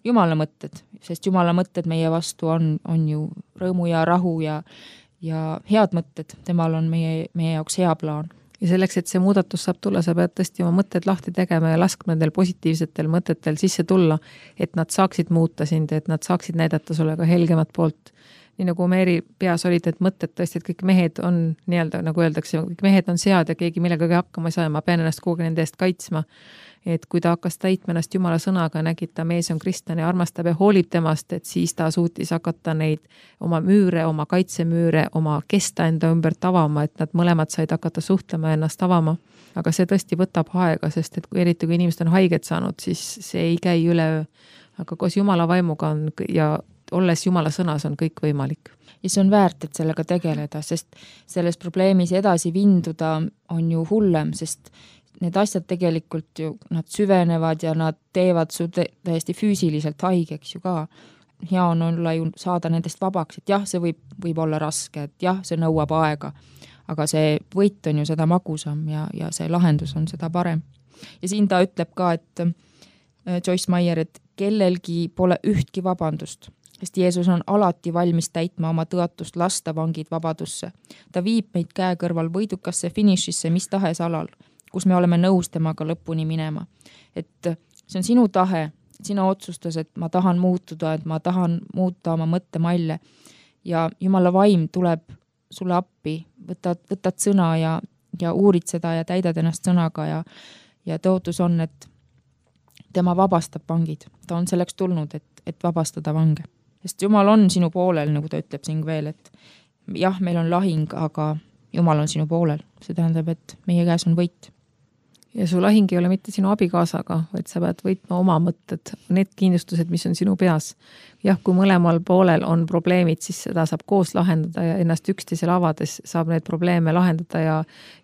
Jumala mõtted, sest Jumala mõtted meie vastu on, on ju rõõmu ja rahu ja, ja head mõtted, temal on meie, meie jaoks hea plaan. Ja selleks, et see muudatus saab tulla, sa pead tõesti oma mõtted lahti tegema ja laskma nendel positiivsetel mõtetel sisse tulla, et nad saaksid muuta sind, et nad saaksid näidata sulle ka helgemat poolt. Nii nagu Meeri peas olid, et mõtted tõesti, et kõik mehed on nii-öelda, nagu öeldakse, kõik mehed on sead ja keegi millegagi hakkama ei saa ja ma pean ennast kogu nende eest kaitsma. Et kui ta hakkas täitma ennast Jumala sõnaga, nägid ta mees on kristlane ja armastab ja hoolib temast, et siis ta suutis hakata neid oma müüre, oma kaitsemüüre, oma kesta enda ümbert avama, et nad mõlemad said hakata suhtlema ja ennast avama. Aga see tõesti võtab aega, sest et kui eriti kui inimesed on haiget saanud, siis see ei käi üleöö. Aga koos Jumala vaimuga on ja olles Jumala sõnas on kõik võimalik. Ja see on väärt, et sellega tegeleda, sest selles probleemis edasi vinduda on ju hullem, sest need asjad tegelikult ju, nad süvenevad ja nad teevad su täiesti füüsiliselt haigeks ju ka. Hea on olla ju saada nendest vabaks, et jah, see võib, võib olla raske, et jah, see nõuab aega, aga see võit on ju seda magusam ja, ja see lahendus on seda parem. Ja siin ta ütleb ka, et Joyce Meyer, et kellelgi pole ühtki vabandust, sest Jeesus on alati valmis täitma oma tõotust lasta vangid vabadusse. Ta viib meid käe kõrval võidukasse finišisse mis tahes alal, kus me oleme nõus temaga lõpuni minema. Et see on sinu tahe, sina otsustas, et ma tahan muutuda, et ma tahan muuta oma mõttemalle ja Jumala vaim tuleb sulle appi, võtad, võtad sõna ja, ja uurid seda ja täidad ennast sõnaga ja, ja tõotus on, et tema vabastab vangid. Ta on selleks tulnud, et, et vabastada vange. Sest Jumal on sinu poolel, nagu ta ütleb siin veel, et jah, meil on lahing, aga Jumal on sinu poolel. See tähendab, et meie käes on võit. Ja su lahing ei ole mitte sinu abikaasaga, vaid sa pead võitma oma mõtted, need kindlustused, mis on sinu peas. jah, kui mõlemal poolel on probleemid, siis seda saab koos lahendada ja ennast üksteisele avades saab need probleeme lahendada ja,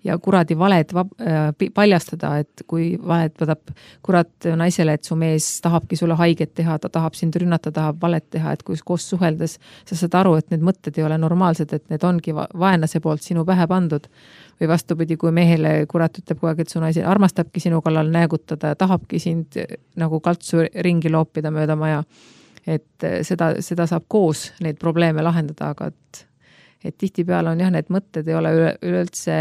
ja kuradi valed vab, äh, paljastada, et kui valed võtab kurat naisele, et su mees tahabki sulle haiget teha, ta tahab sind rünnata, tahab valet teha, et kui koos suheldes sa saad aru, et need mõtted ei ole normaalsed, et need ongi vaenlase poolt sinu pähe pandud. Või vastupidi, kui mehele kurat ütleb kogu aeg, et su naise armastabki sinu kallal näägutada ja tahabki sind nagu kaltsu ringi loopida mööda maja. Et seda, seda saab koos neid probleeme lahendada, aga et, et tihtipeale on jah, need mõtted ei ole üleüldse,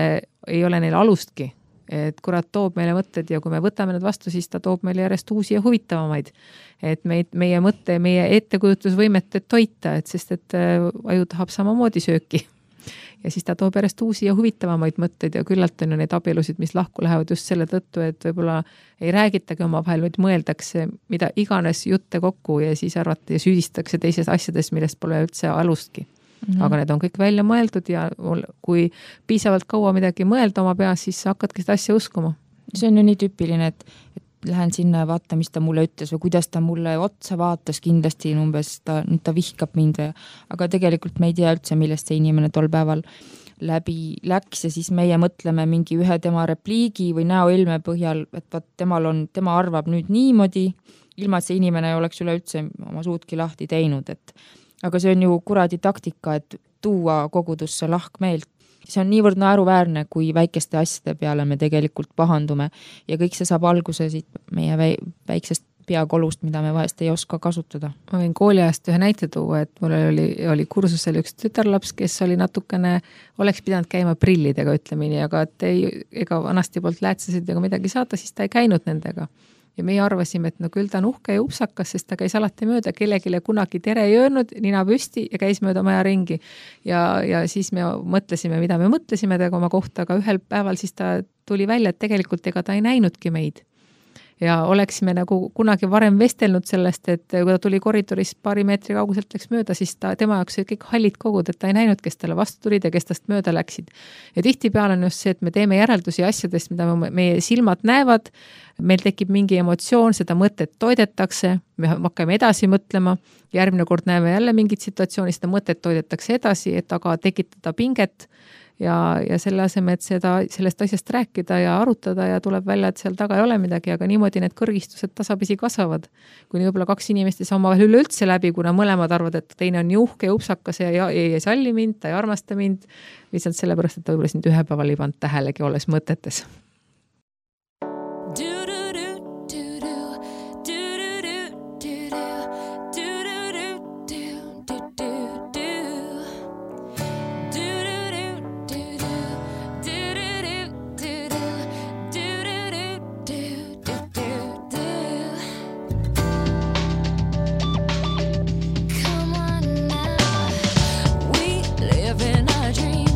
ei ole neil alustki. Et kurat toob meile mõtted ja kui me võtame need vastu, siis ta toob meile järjest uusi ja huvitavamaid. Et meid, meie mõtte, meie ettekujutusvõimet toita, et sest et aju tahab samamoodi sööki. Ja siis ta toob järjest uusi ja huvitavamaid mõtteid ja küllalt on ju neid abielusid, mis lahku lähevad just selle tõttu, et võib-olla ei räägitagi oma vahel, vaid mõeldakse mida iganes jutte kokku ja siis arvati ja süüdistakse teises asjades, millest pole üldse alustki. Mm-hmm. Aga need on kõik välja mõeldud ja kui piisavalt kaua midagi mõelda oma peas, siis hakkadki seda asja uskuma. See on ju nii tüüpiline, et, et lähen sinna ja vaata, mis ta mulle ütles või kuidas ta mulle otsa vaatas, kindlasti umbes ta, nüüd ta vihkab mind. Aga tegelikult me ei tea üldse, millest see inimene tol päeval läbi läks ja siis meie mõtleme mingi ühe tema repliigi või näoilme põhjal, et vaat temal on, tema arvab nüüd niimoodi, ilma et see inimene ei oleks üleüldse oma suudki lahti teinud. Et, aga see on ju kuradi taktika, et tuua kogudusse lahkmeelt. See on niivõrd naeruväärne, kui väikeste asjade peale me tegelikult pahandume ja kõik see saab alguse siit meie väiksest peakolust, mida me vahest ei oska kasutada. Ma võin kooliajast ühe näite tuua, et mul oli, oli kursusel üks tütarlaps, kes oli natukene, oleks pidanud käima prillidega, ütlemini, aga et ei, ega vanasti poolt läätsesid ega midagi saata, siis ta ei käinud nendega. Ja meie arvasime, et no küll ta on uhke ja upsakas, sest ta käis alati mööda, kellegile kunagi tere ei öelnud, nina püsti ja käis mööda maja ringi. Ja, ja siis me mõtlesime, mida me mõtlesime tega oma kohta, aga ühel päeval siis ta tuli välja, et tegelikult ega ta ei näinudki meid. Ja oleksime nagu kunagi varem vestelnud sellest, et kui ta tuli koridoris paari meetri kauguselt läks mööda, siis ta, tema jaoks kõik hallid kogud, et ta ei näinud, kes talle vastu tulid ja kes tast mööda läksid. Ja tihtipeale on just see, et me teeme järeldusi asjadest, mida me, meie silmad näevad, meil tekib mingi emotsioon, seda mõtet toidetakse, me hakkame edasi mõtlema, järgmine kord näeme jälle mingit situatsiooni, seda mõtet toidetakse edasi, et aga tekitada pinget ja, ja selle aseme, et seda, sellest asjast rääkida ja arutada ja tuleb välja, et seal taga ei ole midagi, aga niimoodi need kõrgistused tasapisi kasvavad. Kuni võib-olla kaks inimest ei saa omavahel üleüldse läbi, kuna mõlemad arvad, et teine on juhke ja upsakas ja ei, ei salli mind, ta ei armasta mind, lihtsalt sellepärast, et ta võib-olla sind ühe päeval ei pannud tähelegi olles mõtetes. Live in a dream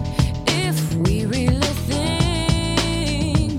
if we really think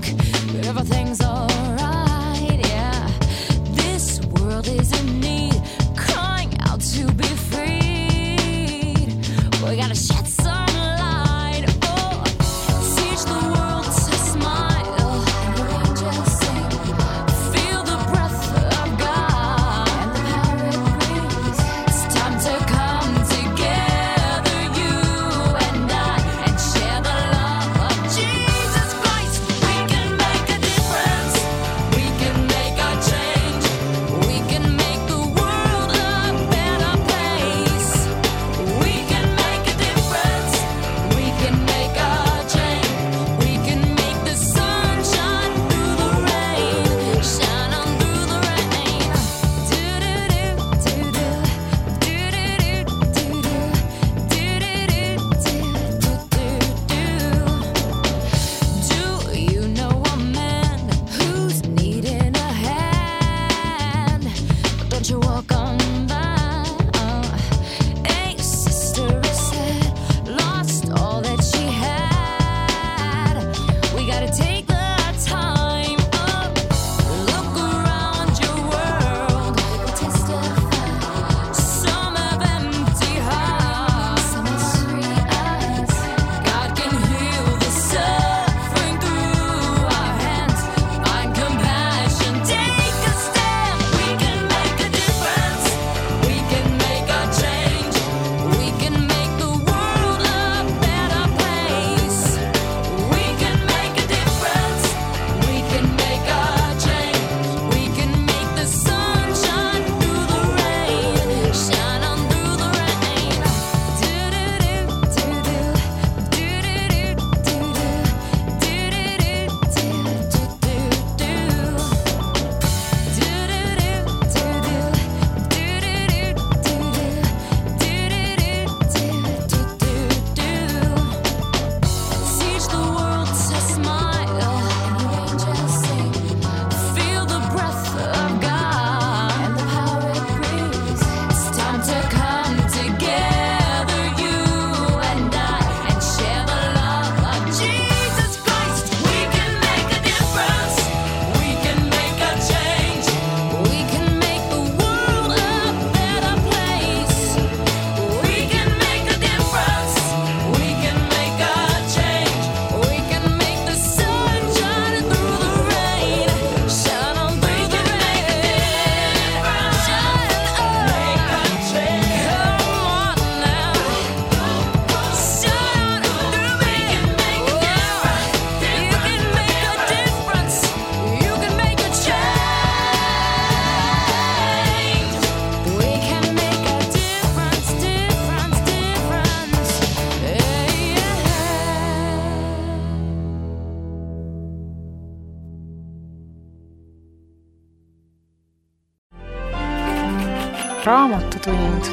Raamatutund.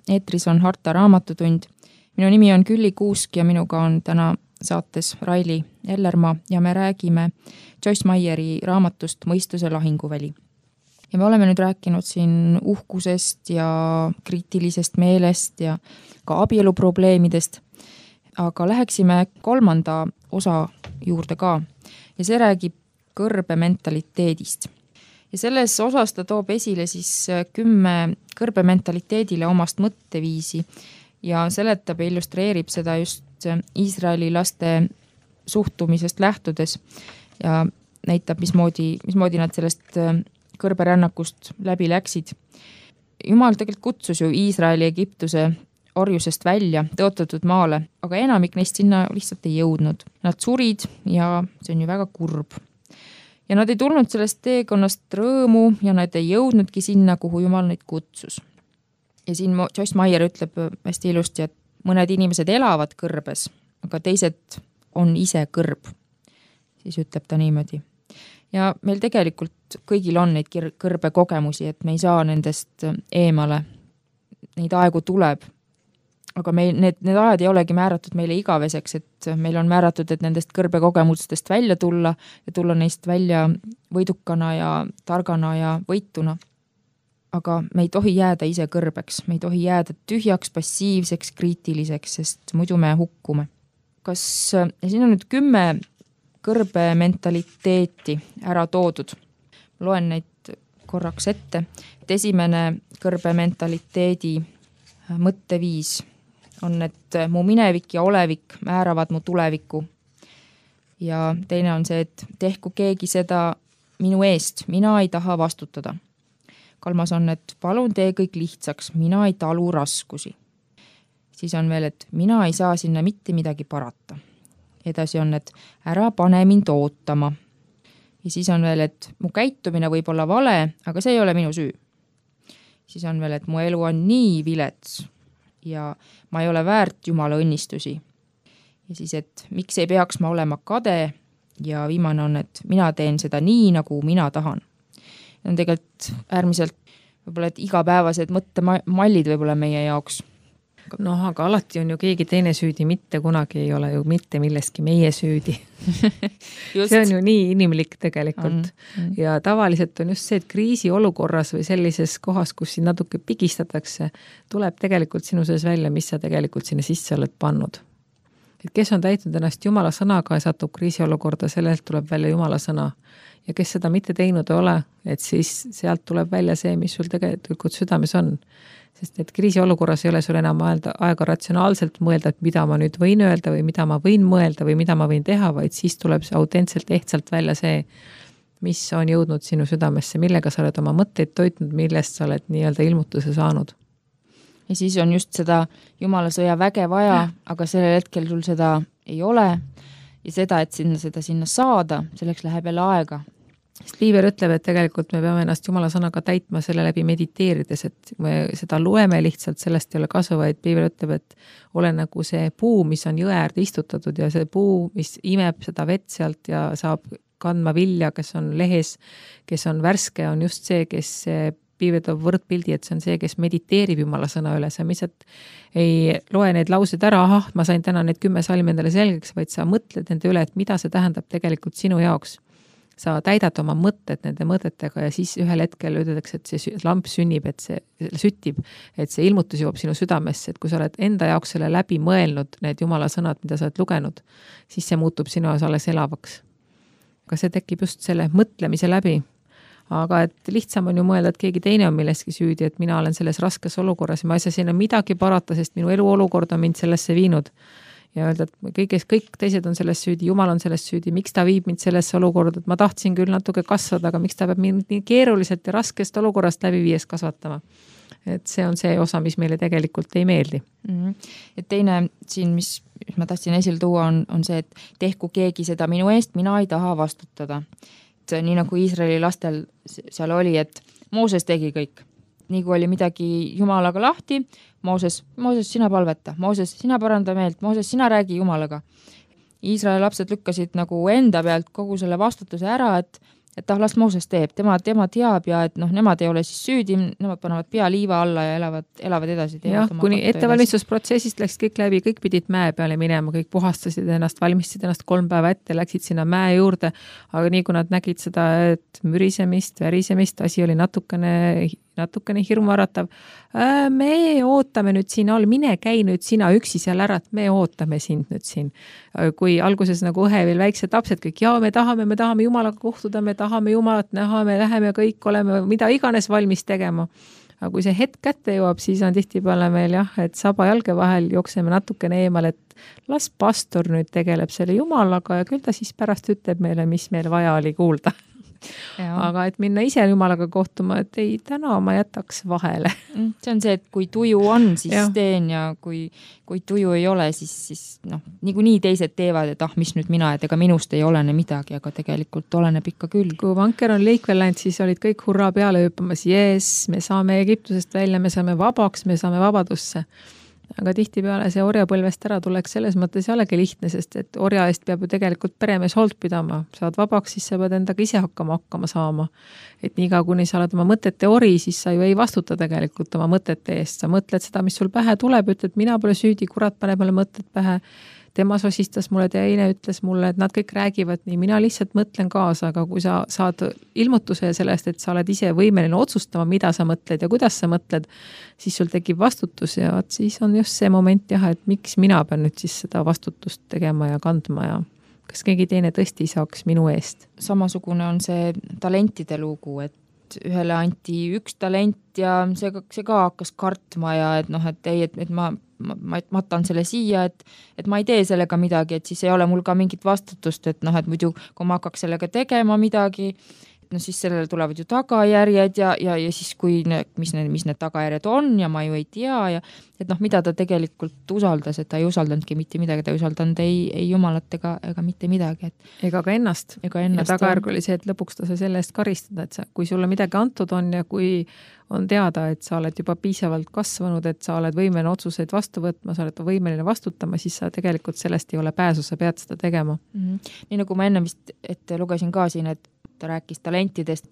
Eetris on Harta Raamatutund. Minu nimi on Külli Kuusk ja minuga on täna saates Raili Ellermaa ja me räägime Joyce Meyeri raamatust Mõistuse lahinguväli. Ja me oleme nüüd rääkinud siin uhkusest ja kriitilisest meelest ja ka abieluprobleemidest, aga läheksime kolmanda osa juurde ka ja see räägib kõrbe mentaliteedist. Ja selles osas ta toob esile siis kümme kõrbe mentaliteedile omast mõtteviisi ja seletab ja illustreerib seda just Iisraeli laste suhtumisest lähtudes ja näitab, mismoodi, mismoodi nad sellest kõrberännakust läbi läksid. Jumal tegelikult kutsus ju Iisraeli Egiptuse orjusest välja tõotatud maale, aga enamik neist sinna lihtsalt ei jõudnud. Nad surid ja see on ju väga kurb. Ja nad ei tulnud sellest teekonnast rõõmu ja nad ei jõudnudki sinna, kuhu Jumal neid kutsus. Ja siin Joyce Meyer ütleb hästi ilusti, et mõned inimesed elavad kõrbes, aga teised on ise kõrb. Siis ütleb ta niimoodi. Ja meil tegelikult kõigil on neid kõrbe kogemusi, et me ei saa nendest eemale. Neid aegu tuleb. Aga meil, need, need ajad ei olegi määratud meile igaveseks, et meil on määratud, et nendest kõrbe kogemustest välja tulla ja tulla neist välja võidukana ja targana ja võituna. Aga me ei tohi jääda ise kõrbeks, me ei tohi jääda tühjaks, passiivseks, kriitiliseks, sest muidu me hukkume. Kas, ja siin on nüüd kümme kõrbe mentaliteeti ära toodud. Loen neid korraks ette. Et esimene kõrbe mentaliteedi mõtteviis on, et mu minevik ja olevik määravad mu tuleviku. Ja teine on see, et tehku keegi seda minu eest, mina ei taha vastutada. Kolmas on, et palun tee kõik lihtsaks, mina ei talu raskusi. Siis on veel, et mina ei saa sinna mitte midagi parata. Edasi on, et ära pane mind ootama. Ja siis on veel, et mu käitumine võib olla vale, aga see ei ole minu süü. Siis on veel, et mu elu on nii vilets ja ma ei ole väärt Jumala õnnistusi. Ja siis, et miks ei peaks ma olema kade ja viimane on, et mina teen seda nii, nagu mina tahan. On tegelikult äärmiselt võib-olla, et igapäevased mõttemallid võib-olla meie jaoks. Noh, aga alati on ju keegi teine süüdi, mitte kunagi ei ole ju mitte millestki meie süüdi. see on ju nii inimlik tegelikult. On, on. Ja tavaliselt on just see, et kriisi olukorras või sellises kohas, kus siin natuke pigistatakse, tuleb tegelikult sinu sees välja, mis sa tegelikult sinna sisse oled pannud. Et kes on täitnud ennast Jumala sõnaga ja satub kriisi olukorda, sellelt tuleb välja Jumala sõna. Ja kes seda mitte teinud ei ole, et siis sealt tuleb välja see, mis sul tegelikult südames on. Sest et kriisi olukorras ei ole sul enam aega ratsionaalselt mõelda, et mida ma nüüd võin öelda või mida ma võin mõelda või mida ma võin teha, vaid siis tuleb see autentselt ehtsalt välja see, mis on jõudnud sinu südamesse, millega sa oled oma mõtteid toitnud, millest sa oled nii-öelda ilmutuse saanud. Ja siis on just seda Jumala sõja väge vaja, aga sellel hetkel sul seda ei ole ja seda, et sinna seda sinna saada, selleks läheb jälle aega. Sest Piiber ütleb, et tegelikult me peame ennast Jumala sõnaga täitma selle läbi mediteerides, et me seda loeme lihtsalt, sellest ei ole kasu, vaid Piiber ütleb, et ole nagu see puu, mis on jõe äärde istutatud ja see puu, mis imeb seda vett sealt ja saab kandma vilja, kes on lehes, kes on värske, on just see, kes Piiber toob võrdpildi, et see on see, kes mediteerib Jumala sõna üle, sa lihtsalt ei loe neid lauseid ära, ahah, ma sain täna need kümme salmi endale selgeks, vaid sa mõtled nende üle, et mida see tähendab tegelikult sinu jaoks. Sa täidad oma mõtted nende mõtetega ja siis ühel hetkel ütletakse, et see lamp sünnib, et see süttib, et see ilmutus jõuab sinu südamesse, et kui sa oled enda jaoks selle läbi mõelnud, need Jumala sõnad, mida sa oled lugenud, siis see muutub sinu jaoks alles elavaks. Aga see tekib just selle mõtlemise läbi. Aga et lihtsam on ju mõelda, et keegi teine on millestki süüdi, et mina olen selles raskes olukorras ja ma ei saa sinna midagi parata, sest minu elu olukord on mind sellesse viinud. Ja öelda, et kõigest, kõik teised on selles süüdi, Jumal on selles süüdi, miks ta viib mind sellesse olukorda, et ma tahtsin küll natuke kasvada, aga miks ta peab mind nii keeruliselt ja raskest olukorrast läbi viies kasvatama. Et see on see osa, mis meile tegelikult ei meeldi. Mm-hmm. Et teine siin, mis ma tahtsin esile tuua, on, on see, et tehku keegi seda minu eest, mina ei taha vastutada. Et nii nagu Iisraeli lastel seal oli, et Mooses tegi kõik. Nii kui oli midagi Jumalaga lahti, Mooses, Mooses, sina palveta, Mooses, sina paranda meelt, Mooses, sina räägi Jumalaga. Iisraeli lapsed lükkasid nagu enda pealt kogu selle vastutuse ära, et, et ah, las Mooses teeb, tema, tema teab ja et noh, nemad ei ole siis süüdi, nemad panevad pea liiva alla ja elavad, elavad edasi. Jah, kuni ettevalmistusprotsessist läks kõik läbi, kõik pidid mäe peale minema, kõik puhastasid ennast, valmistasid ennast kolm päeva ette, läksid sinna mäe juurde, aga nii kui nad nägid seda, et mürisemist, värisemist, asi oli natukene, natukene hirmuäratav. Me ootame nüüd siin all, mine käi nüüd sina üksi seal ära, et me ootame sind nüüd siin. Kui alguses nagu õhe veel väiksed lapsed kõik, jaa, me tahame, me tahame Jumalaga kohtuda, me tahame Jumalat näha, me läheme kõik, oleme mida iganes valmis tegema. Aga kui see hetk kätte jõuab, siis on tihtipeale meil jah, et saba jalge vahel jookseme natukene eemal, et las pastor nüüd tegeleb selle Jumalaga ja küll ta siis pärast ütleb meile, mis meil vaja oli kuulda. Ja. Aga et minna ise Jumalaga kohtuma, et ei, täna ma jätaks vahele. See on see, et kui tuju on, siis ja. teen ja kui, kui tuju ei ole, siis, siis noh, nii nii teised teevad, et ah, mis nüüd mina, et ega minust ei olene midagi, aga tegelikult oleneb ikka küll. Kui vanker on liikvel läinud, siis olid kõik hurraa peale hüppamas, jees, me saame Egiptusest välja, me saame vabaks, me saame vabadusse. Aga tihtipeale see orjapõlvest ära tuleks selles mõttes jällegi lihtne, sest et orja eest peab ju tegelikult peremees hoolt pidama. Saad vabaks, siis sa pead endaga ise hakkama hakkama saama. Et niiga, kuni sa oled oma mõtete ori, siis sa ju ei vastuta tegelikult oma mõtete eest. Sa mõtled seda, mis sul pähe tuleb, ütled, mina pole süüdi, kurat paneb mulle mõtted pähe. Tema sosistas mulle, teine ütles mulle, et nad kõik räägivad nii, mina lihtsalt mõtlen kaasa, aga kui sa saad ilmutuse sellest, et sa oled ise võimeline otsustama, mida sa mõtled ja kuidas sa mõtled, siis sul tekib vastutus ja siis on just see moment jah, et miks mina pean nüüd siis seda vastutust tegema ja kandma ja kas keegi teine tõesti saaks minu eest. Samasugune on see talentide lugu, et ühele anti üks talent ja see, see ka hakkas kartma ja et noh, et ei, et, et ma ma, ma matan selle siia, et, et ma ei tee sellega midagi, et siis ei ole mul ka mingit vastutust, et noh, et muidu kui ma hakkaks sellega tegema midagi, no siis sellele tulevad ju tagajärjed ja, ja, ja siis kui ne, mis, need, mis need tagajärjed on ja ma ju ei tea ja et noh, mida ta tegelikult usaldas, et ta ei usaldanudki mitte midagi, ta ei usaldanud ei, ei Jumalat ega, ega mitte midagi. Et, ega ka ennast. Ega ennast. Ja tagajärg oli see, et lõpuks ta sai selle eest karistada, et sa, kui sulle midagi antud on ja kui on teada, et sa oled juba piisavalt kasvanud, et sa oled võimeline otsuseid vastu võtma, sa oled võimeline vastutama, siis sa tegelikult sellest ei ole pääsu, sa pead seda tegema. Mm-hmm. Nii nagu ma enne vist ette lugesin ka siin, et ta rääkis talentidest,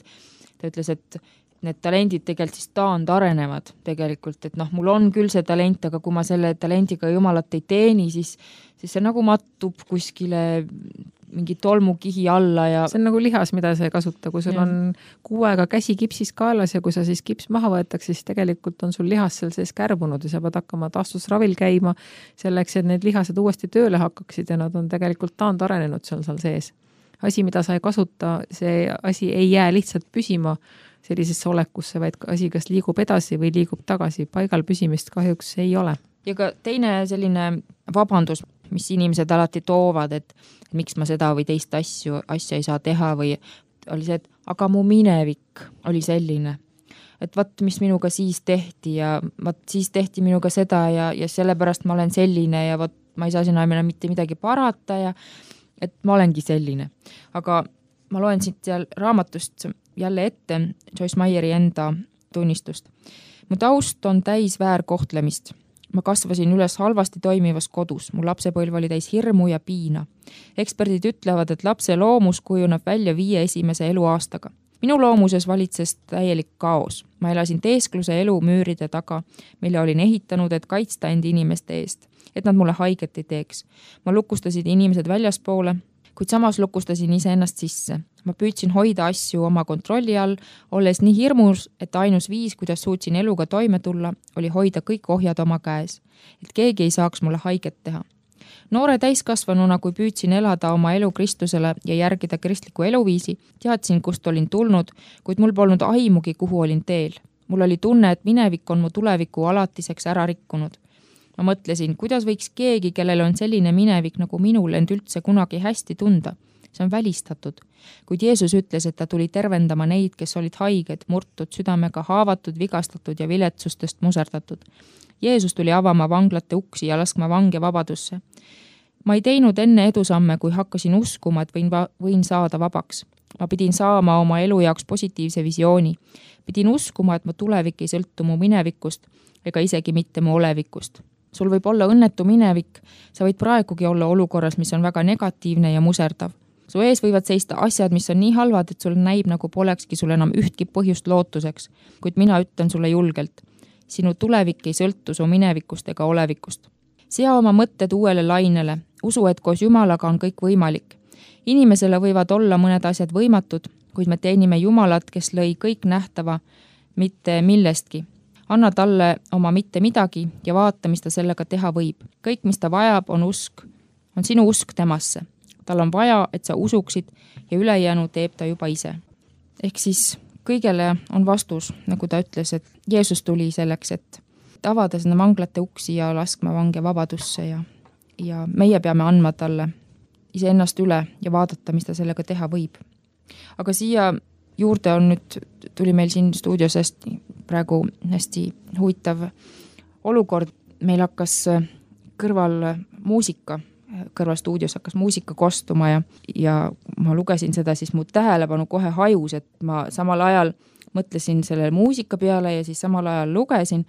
ta ütles, et need talendid tegelikult siis taand arenevad tegelikult, et noh, mul on küll see talent, aga kui ma selle talendiga Jumalat ei teeni, siis, siis see nagu mattub kuskile mingi tolmukihi alla ja see on nagu lihas, mida sa ei kasuta, kui sul ja. on kuu aega käsi kipsis kaelas ja kui sa siis kips maha võetakse, siis tegelikult on sul lihas seal sees kärbunud ja sa pead hakkama taastusravil käima selleks, et need lihased uuesti tööle hakkaksid ja nad on tegelikult taand arenenud seal seal sees. Asi, mida sa ei kasuta, see asi ei jää lihtsalt püsima sellisesse olekusse, vaid asi kas liigub edasi või liigub tagasi. Paigal püsimist kahjuks ei ole. Ja ka teine selline vabandus, mis inimesed alati toovad, et miks ma seda või teist asju, asja ei saa teha või oli see, et aga mu minevik oli selline. Et vat, mis minuga siis tehti ja vat, siis tehti minuga seda ja, ja sellepärast ma olen selline ja vat, ma ei saa sinna mitte midagi parata ja et ma olengi selline. Aga ma loen siit seal raamatust jälle ette Joyce Meyeri enda tunnistust. Mu taust on täis väärkohtlemist. Ma kasvasin üles halvasti toimivas kodus. Mu lapsepõlv oli täis hirmu ja piina. Eksperdid ütlevad, et lapse loomus kujuneb välja viie esimese eluaastaga. Minu loomuses valitses täielik kaos. Ma elasin teeskluse elu müüride taga, mille olin ehitanud, et kaitsta end inimeste eest, et nad mulle haiget ei teeks. Ma lukustasin inimesed väljaspoole, kuid samas lukustasin ise ennast sisse. Ma püüdsin hoida asju oma kontrolli all, olles nii hirmus, et ainus viis, kuidas suutsin eluga toime tulla, oli hoida kõik ohjad oma käes, et keegi ei saaks mulle haiget teha. Noore täiskasvanuna, kui püüdsin elada oma elu Kristusele ja järgida kristliku eluviisi, teadsin, kust olin tulnud, kuid mul polnud aimugi, kuhu olin teel. Mul oli tunne, et minevik on mu tuleviku alatiseks ära rikkunud. Ma mõtlesin, kuidas võiks keegi, kellel on selline minevik nagu minul, end üldse kunagi hästi tunda. See on välistatud. Kuid Jeesus ütles, et ta tuli tervendama neid, kes olid haiged, murtud, südamega haavatud, vigastatud ja viletsustest muserdatud. Jeesus tuli avama vanglate uksi ja laskma vange vabadusse. Ma ei teinud enne edusamme, kui hakkasin uskuma, et võin, va- võin saada vabaks. Ma pidin saama oma elu jaoks positiivse visiooni. Pidin uskuma, et mu tulevik ei sõltu mu minevikust ega isegi mitte mu olevikust. Sul võib olla õnnetu minevik, sa võid praegugi olla olukorras, mis on väga negatiivne ja muserdav. su ees võivad seista asjad, mis on nii halvad, et sul näib nagu polekski sul enam ühtki põhjust lootuseks, kuid mina ütlen sulle julgelt. Sinu tulevik ei sõltu su minevikust ega olevikust. Sea oma mõtted uuele lainele, usu, et koos Jumalaga on kõik võimalik. Inimesele võivad olla mõned asjad võimatud, kuid me teenime Jumalat, kes lõi kõik nähtava, mitte millestki. Anna talle oma mitte midagi ja vaata, mis ta sellega teha võib. Kõik, mis ta vajab, on usk, on sinu usk temasse. Tal on vaja, et sa usuksid ja ülejäänu teeb ta juba ise. Ehk siis kõigele on vastus, nagu ta ütles, et Jeesus tuli selleks, et avada sinna vanglate uksi ja laskma vange vabadusse ja, ja meie peame andma talle iseennast üle ja vaadata, mis ta sellega teha võib. Aga siia juurde on nüüd, tuli meil siin stuudios hästi, praegu hästi huvitav olukord. Meil hakkas kõrval muusika, kõrval stuudios hakkas muusika kostuma ja, ja ma lugesin seda, siis mu tähelepanu kohe hajus, et ma samal ajal mõtlesin selle muusika peale ja siis samal ajal lugesin.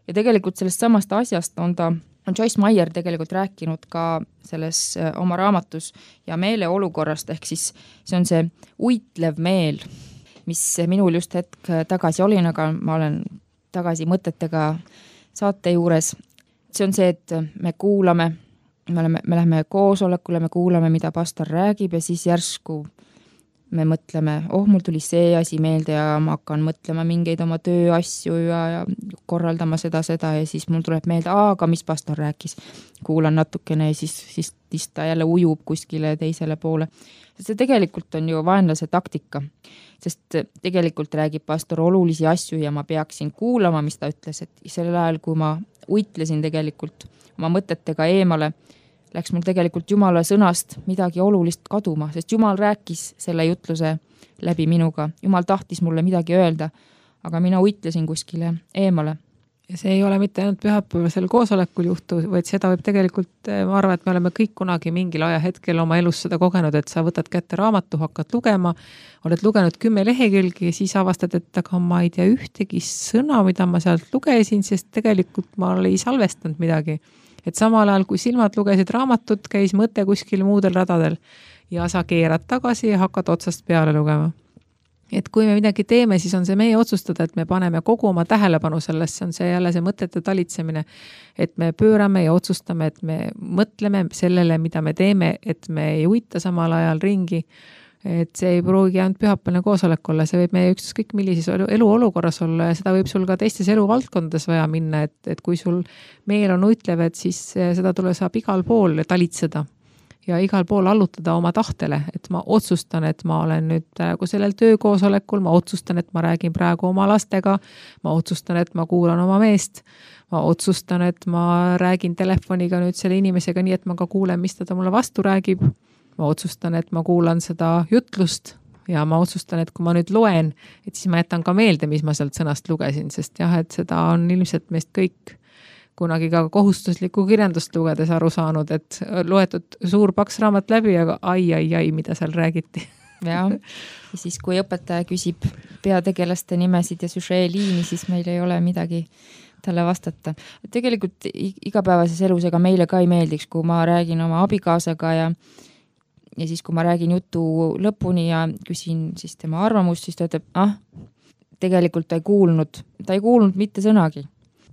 Ja tegelikult sellest samast asjast on ta, on Joyce Meyer tegelikult rääkinud ka selles oma raamatus ja meeleolukorrast, ehk siis see on see uitlev meel, mis minul just hetk tagasi olin, aga ma olen tagasi mõtetega saate juures. See on see, et me kuulame, me, oleme, me läheme koosolekule, me kuulame, mida pastor räägib ja siis järsku me mõtleme, oh, mul tuli see asi meelde ja ma hakkan mõtlema mingeid oma tööasju ja, ja korraldama seda, seda ja siis mul tuleb meelde, aga mis pastor rääkis. Kuulan natukene ja siis, siis, siis ta jälle ujub kuskile teisele poole. See tegelikult on ju vaenlase taktika, sest tegelikult räägib pastor olulisi asju ja ma peaksin kuulama, mis ta ütles, et sellel ajal, kui ma uitlesin tegelikult oma mõtetega eemale, läks mul tegelikult Jumala sõnast midagi olulist kaduma, sest Jumal rääkis selle jutluse läbi minuga. Jumal tahtis mulle midagi öelda, aga mina uitlesin kuskile eemale. Ja see ei ole mitte ainult pühapäevasel koosolekul juhtu, vaid seda võib tegelikult, ma arvan, et me oleme kõik kunagi mingil ajahetkel oma elus seda kogenud, et sa võtad kätte raamatu, hakkad lugema, oled lugenud kümme lehekülgi ja siis avastad, et aga ma ei tea ühtegi sõna, mida ma sealt lugesin, sest tegelikult ma ei salvestanud midagi. Et samal ajal, kui silmad lugesid raamatut, käis mõte kuskil muudel radadel ja sa keerad tagasi ja hakkad otsast peale lugema. Et kui me midagi teeme, siis on see meie otsustada, et me paneme kogu oma tähelepanu sellesse, on see jälle see mõtete talitsemine, et me pöörame ja otsustame, et me mõtleme sellele, mida me teeme, et me ei uita samal ajal ringi, et see ei pruugi ainult pühapäevane koosolek olla, see võib meie ükskõik millises elu olukorras olla ja seda võib sul ka teistes eluvaldkondades vaja minna, et, et kui sul meel on uitlev, et siis seda tule saab igal pool talitseda ja igal pool allutada oma tahtele, et ma otsustan, et ma olen nüüd praegu sellel töökoosolekul, ma otsustan, et ma räägin praegu oma lastega, ma otsustan, et ma kuulan oma meest, ma otsustan, et ma räägin telefoniga nüüd selle inimesega nii, et ma ka kuulen, mis ta mulle vastu räägib. Ma otsustan, et ma kuulan seda jutlust ja ma otsustan, et kui ma nüüd loen, et siis ma jätan ka meelde, mis ma sealt sõnast lugesin, sest jah, et seda on ilmselt meist kõik kunagi ka kohustuslikku kirjandust lugedes aru saanud, et loetud suur paks raamat läbi, aga ai, ai, ai, mida seal räägiti. Ja, ja siis kui õpetaja küsib peategelaste nimesid ja süžeeliini, siis meil ei ole midagi talle vastata. Tegelikult igapäevases elus ega meile ka ei meeldiks, kui ma räägin oma abikaasaga ja Ja siis, kui ma räägin jutu lõpuni ja küsin siis tema arvamust, siis ta ütleb, ah, tegelikult ta ei kuulnud, ta ei kuulnud mitte sõnagi.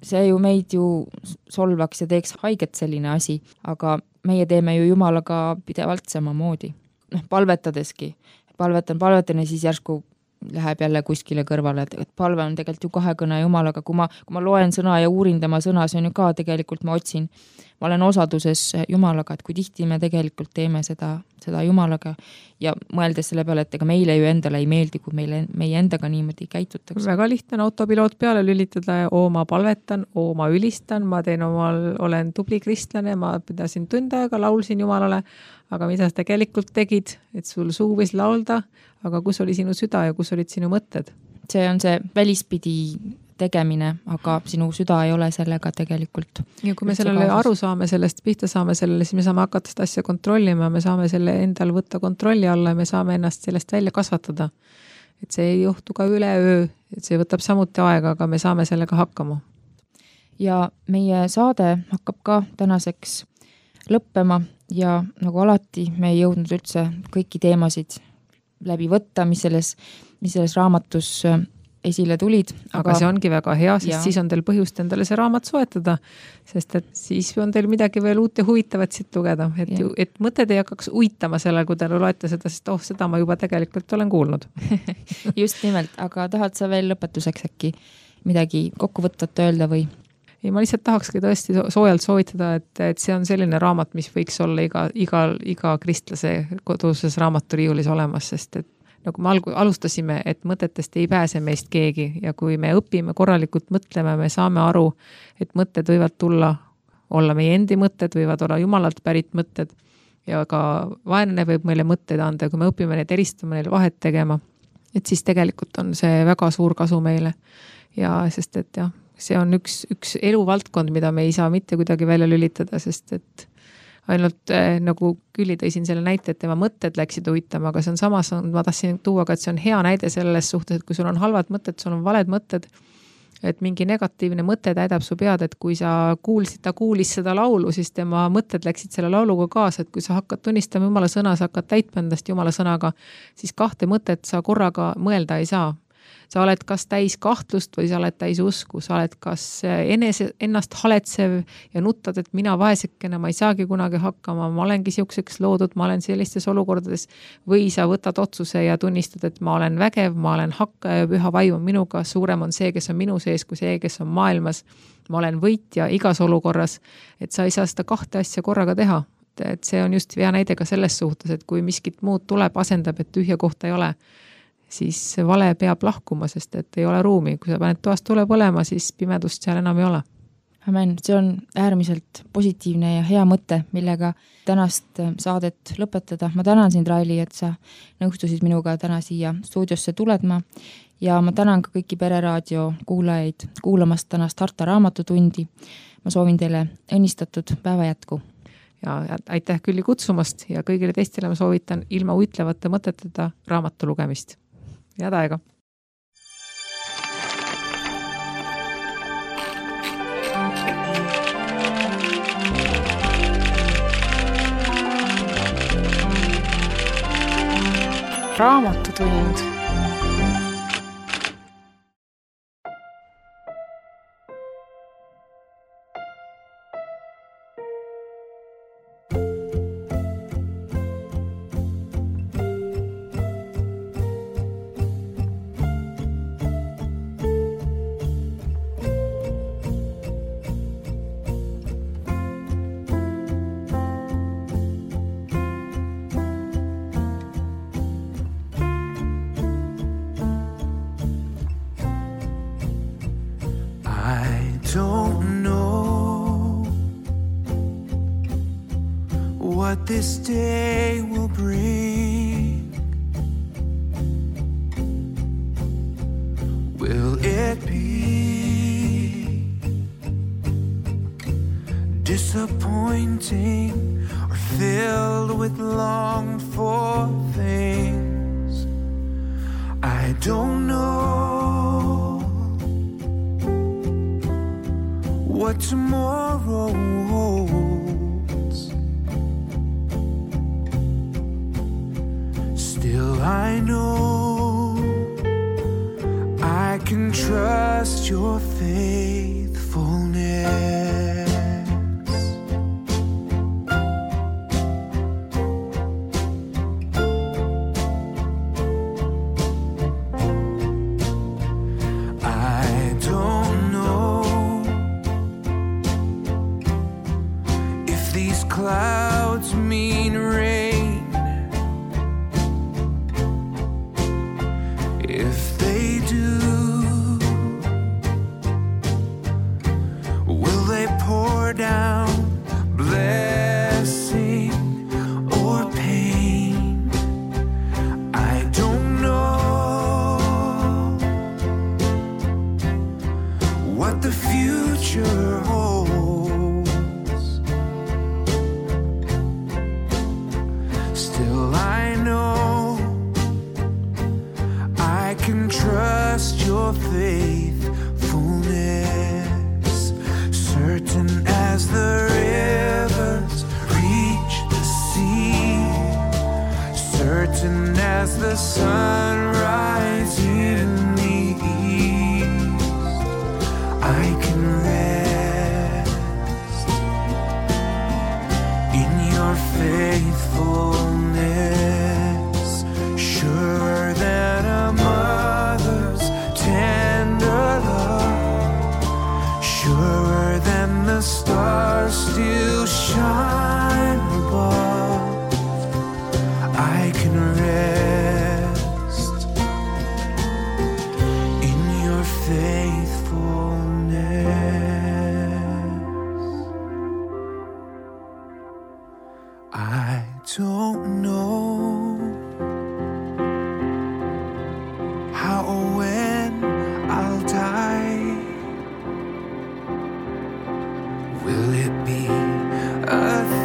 See ju meid ju solvaks ja teeks haiget selline asi, aga meie teeme ju Jumalaga pidevalt samamoodi. Noh, palvetadeski. Palvetan, palvetan ja siis järsku läheb jälle kuskile kõrvale, et palve on tegelikult ju kahekõne Jumalaga. Kui ma, kui ma loen sõna ja uurin tema sõna, see on ju ka tegelikult, ma otsin, ma olen osaduses Jumalaga, et kui tihti me tegelikult teeme seda, seda Jumalaga ja mõeldes selle peale, et ega meile ju endale ei meeldi, kui meile, meie endaga niimoodi käitutakse. Väga lihtne on autopiloot peale lülitada ja oo, ma palvetan, oo, ma ülistan, ma teen omal, olen tubli kristlane, ma pidasin tund aega, laulsin Jumalale, aga mida sa tegelikult tegid, et sul suu võis laulda, aga kus oli sinu süda ja kus olid sinu mõtted? See on see välispidi tegemine, aga sinu süda ei ole sellega tegelikult. Ja kui me sellele aru saame, sellest pihta saame sellele, siis me saame hakata seda asja kontrollima, me saame selle endal võtta kontrolli alla ja me saame ennast sellest välja kasvatada. Et see ei juhtu ka üle öö, et see võtab samuti aega, aga me saame sellega hakkama. Ja meie saade hakkab ka tänaseks lõppema, ja nagu alati me ei jõudnud üldse kõiki teemasid läbi võtta, mis selles, mis selles raamatus esile tulid. Aga, aga see ongi väga hea, sest ja. Siis on teil põhjust endale see raamat soetada, sest et siis on teil midagi veel uut ja huvitavat siit lugeda, et, ju, et mõtted ei hakkaks uitama sellel, kui te loete seda, sest oh, seda ma juba tegelikult olen kuulnud. Just nimelt, aga tahad sa veel lõpetuseks äkki midagi kokkuvõtvat öelda või? Ei, ma lihtsalt tahakski tõesti soojalt soovitada, et, et see on selline raamat, mis võiks olla iga, iga, iga kristlase koduses raamaturiiulis olemas, sest et nagu me alustasime, et mõtetest ei pääse meist keegi ja kui me õpime korralikult mõtlema, me saame aru, et mõtted võivad tulla, olla meie endi mõtted, võivad olla jumalalt pärit mõtted ja ka vaenlane võib meile mõtteid anda, kui me õpime neid eristama, neile vahet tegema, et siis tegelikult on see väga suur kasu meile ja sest et jah, see on üks, üks eluvaldkond, mida me ei saa mitte kuidagi välja lülitada, sest et ainult äh, nagu Külli tõi siin selle näite, et tema mõtted läksid uitama, aga see on samas, ma tahtsin tuua ka, et see on hea näide selles suhtes, et kui sul on halvad mõtted, sul on valed mõtted, et mingi negatiivne mõte täidab su pead, et kui sa kuulsid, ta kuulis seda laulu, siis tema mõtted läksid selle lauluga kaasa, et kui sa hakkad tunnistama Jumala sõna, sa hakkad täitma endast Jumala sõnaga, siis kahte mõtet sa korraga mõelda ei saa. Sa oled kas täis kahtlust või sa oled täis usku, sa oled kas enese, ennast haletsev ja nuttad, et mina vaesekene, ma ei saagi kunagi hakkama, ma olengi siukseks loodud, ma olen sellistes olukordades või sa võtad otsuse ja tunnistad, et ma olen vägev, ma olen hakkaja ja püha vaim on minuga, suurem on see, kes on minu sees, kui see, kes on maailmas, ma olen võitja igas olukorras, et sa ei saa seda kahte asja korraga teha, et see on just hea näide ka selles suhtes, et kui miskit muud tuleb, asendab, et tühja kohta ei ole, siis vale peab lahkuma, sest et ei ole ruumi. Kui sa paned toast tule põlema, siis pimedust seal enam ei ole. Amen, see on äärmiselt positiivne ja hea mõte, millega tänast saadet lõpetada. Ma tänan sind, Raili, et sa nõustusid minuga täna siia stuudiosse tuledma ja ma tänan ka kõiki Pereraadio kuulajaid kuulamast tänast Harta raamatutundi. Ma soovin teile õnnistatud päeva jätku. Ja aitäh Külli kutsumast ja kõigile teistele ma soovitan ilma uitlevate mõteteta raamatu lugemist. Head aega! Raamatutund. This day will bring. Will it be disappointing or filled with longed for things? I don't know what tomorrow holds. Still I know I can trust your faithfulness. I don't know if these clouds mean rain. If they do, will they pour down blessing or pain? I don't know what the future holds. Still I know I can trust your faithfulness, certain as the rivers reach the the sunrise in the east, I can rest in your faithfulness, surer than a mother's tender love, surer than the stars still shine above. I can rest in your faithfulness. I don't know how or when I'll die. Will it be a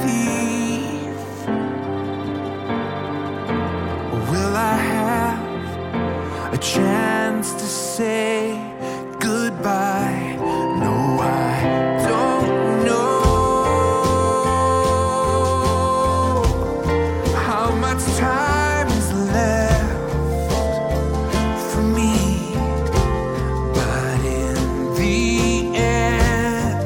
thief? Or will I have a chance to say goodbye? No, I don't know how much time is left for me, but in the end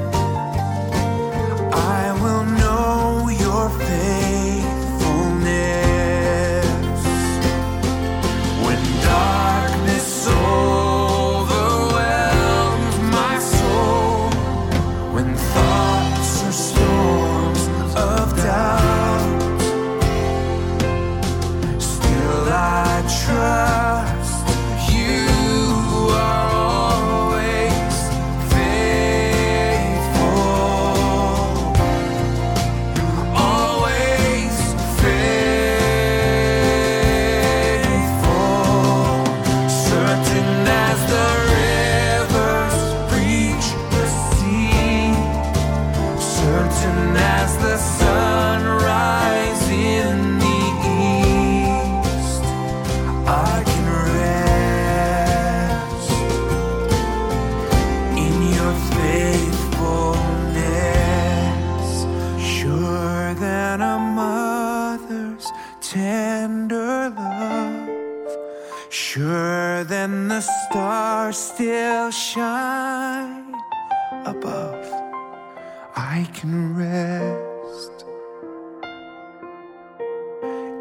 I will know your faithfulness. When darkness overwhelms my soul, when thoughts are storms of doubt, still I trust you are always faithful, always faithful, certain as the rivers reach the sea, certain as the sunrise in the east. I can rest in your faithfulness, surer than a mother's tender love, surer than the stars still shine above. I can rest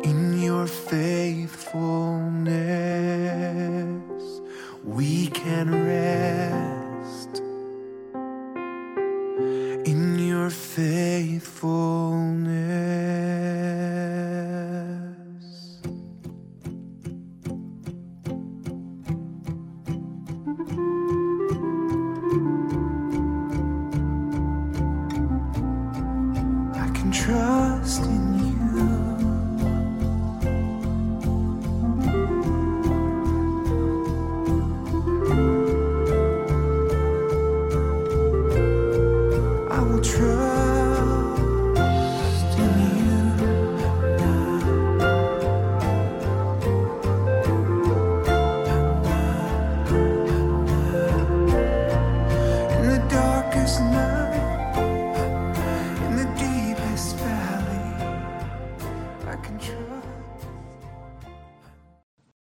in your faithfulness. We can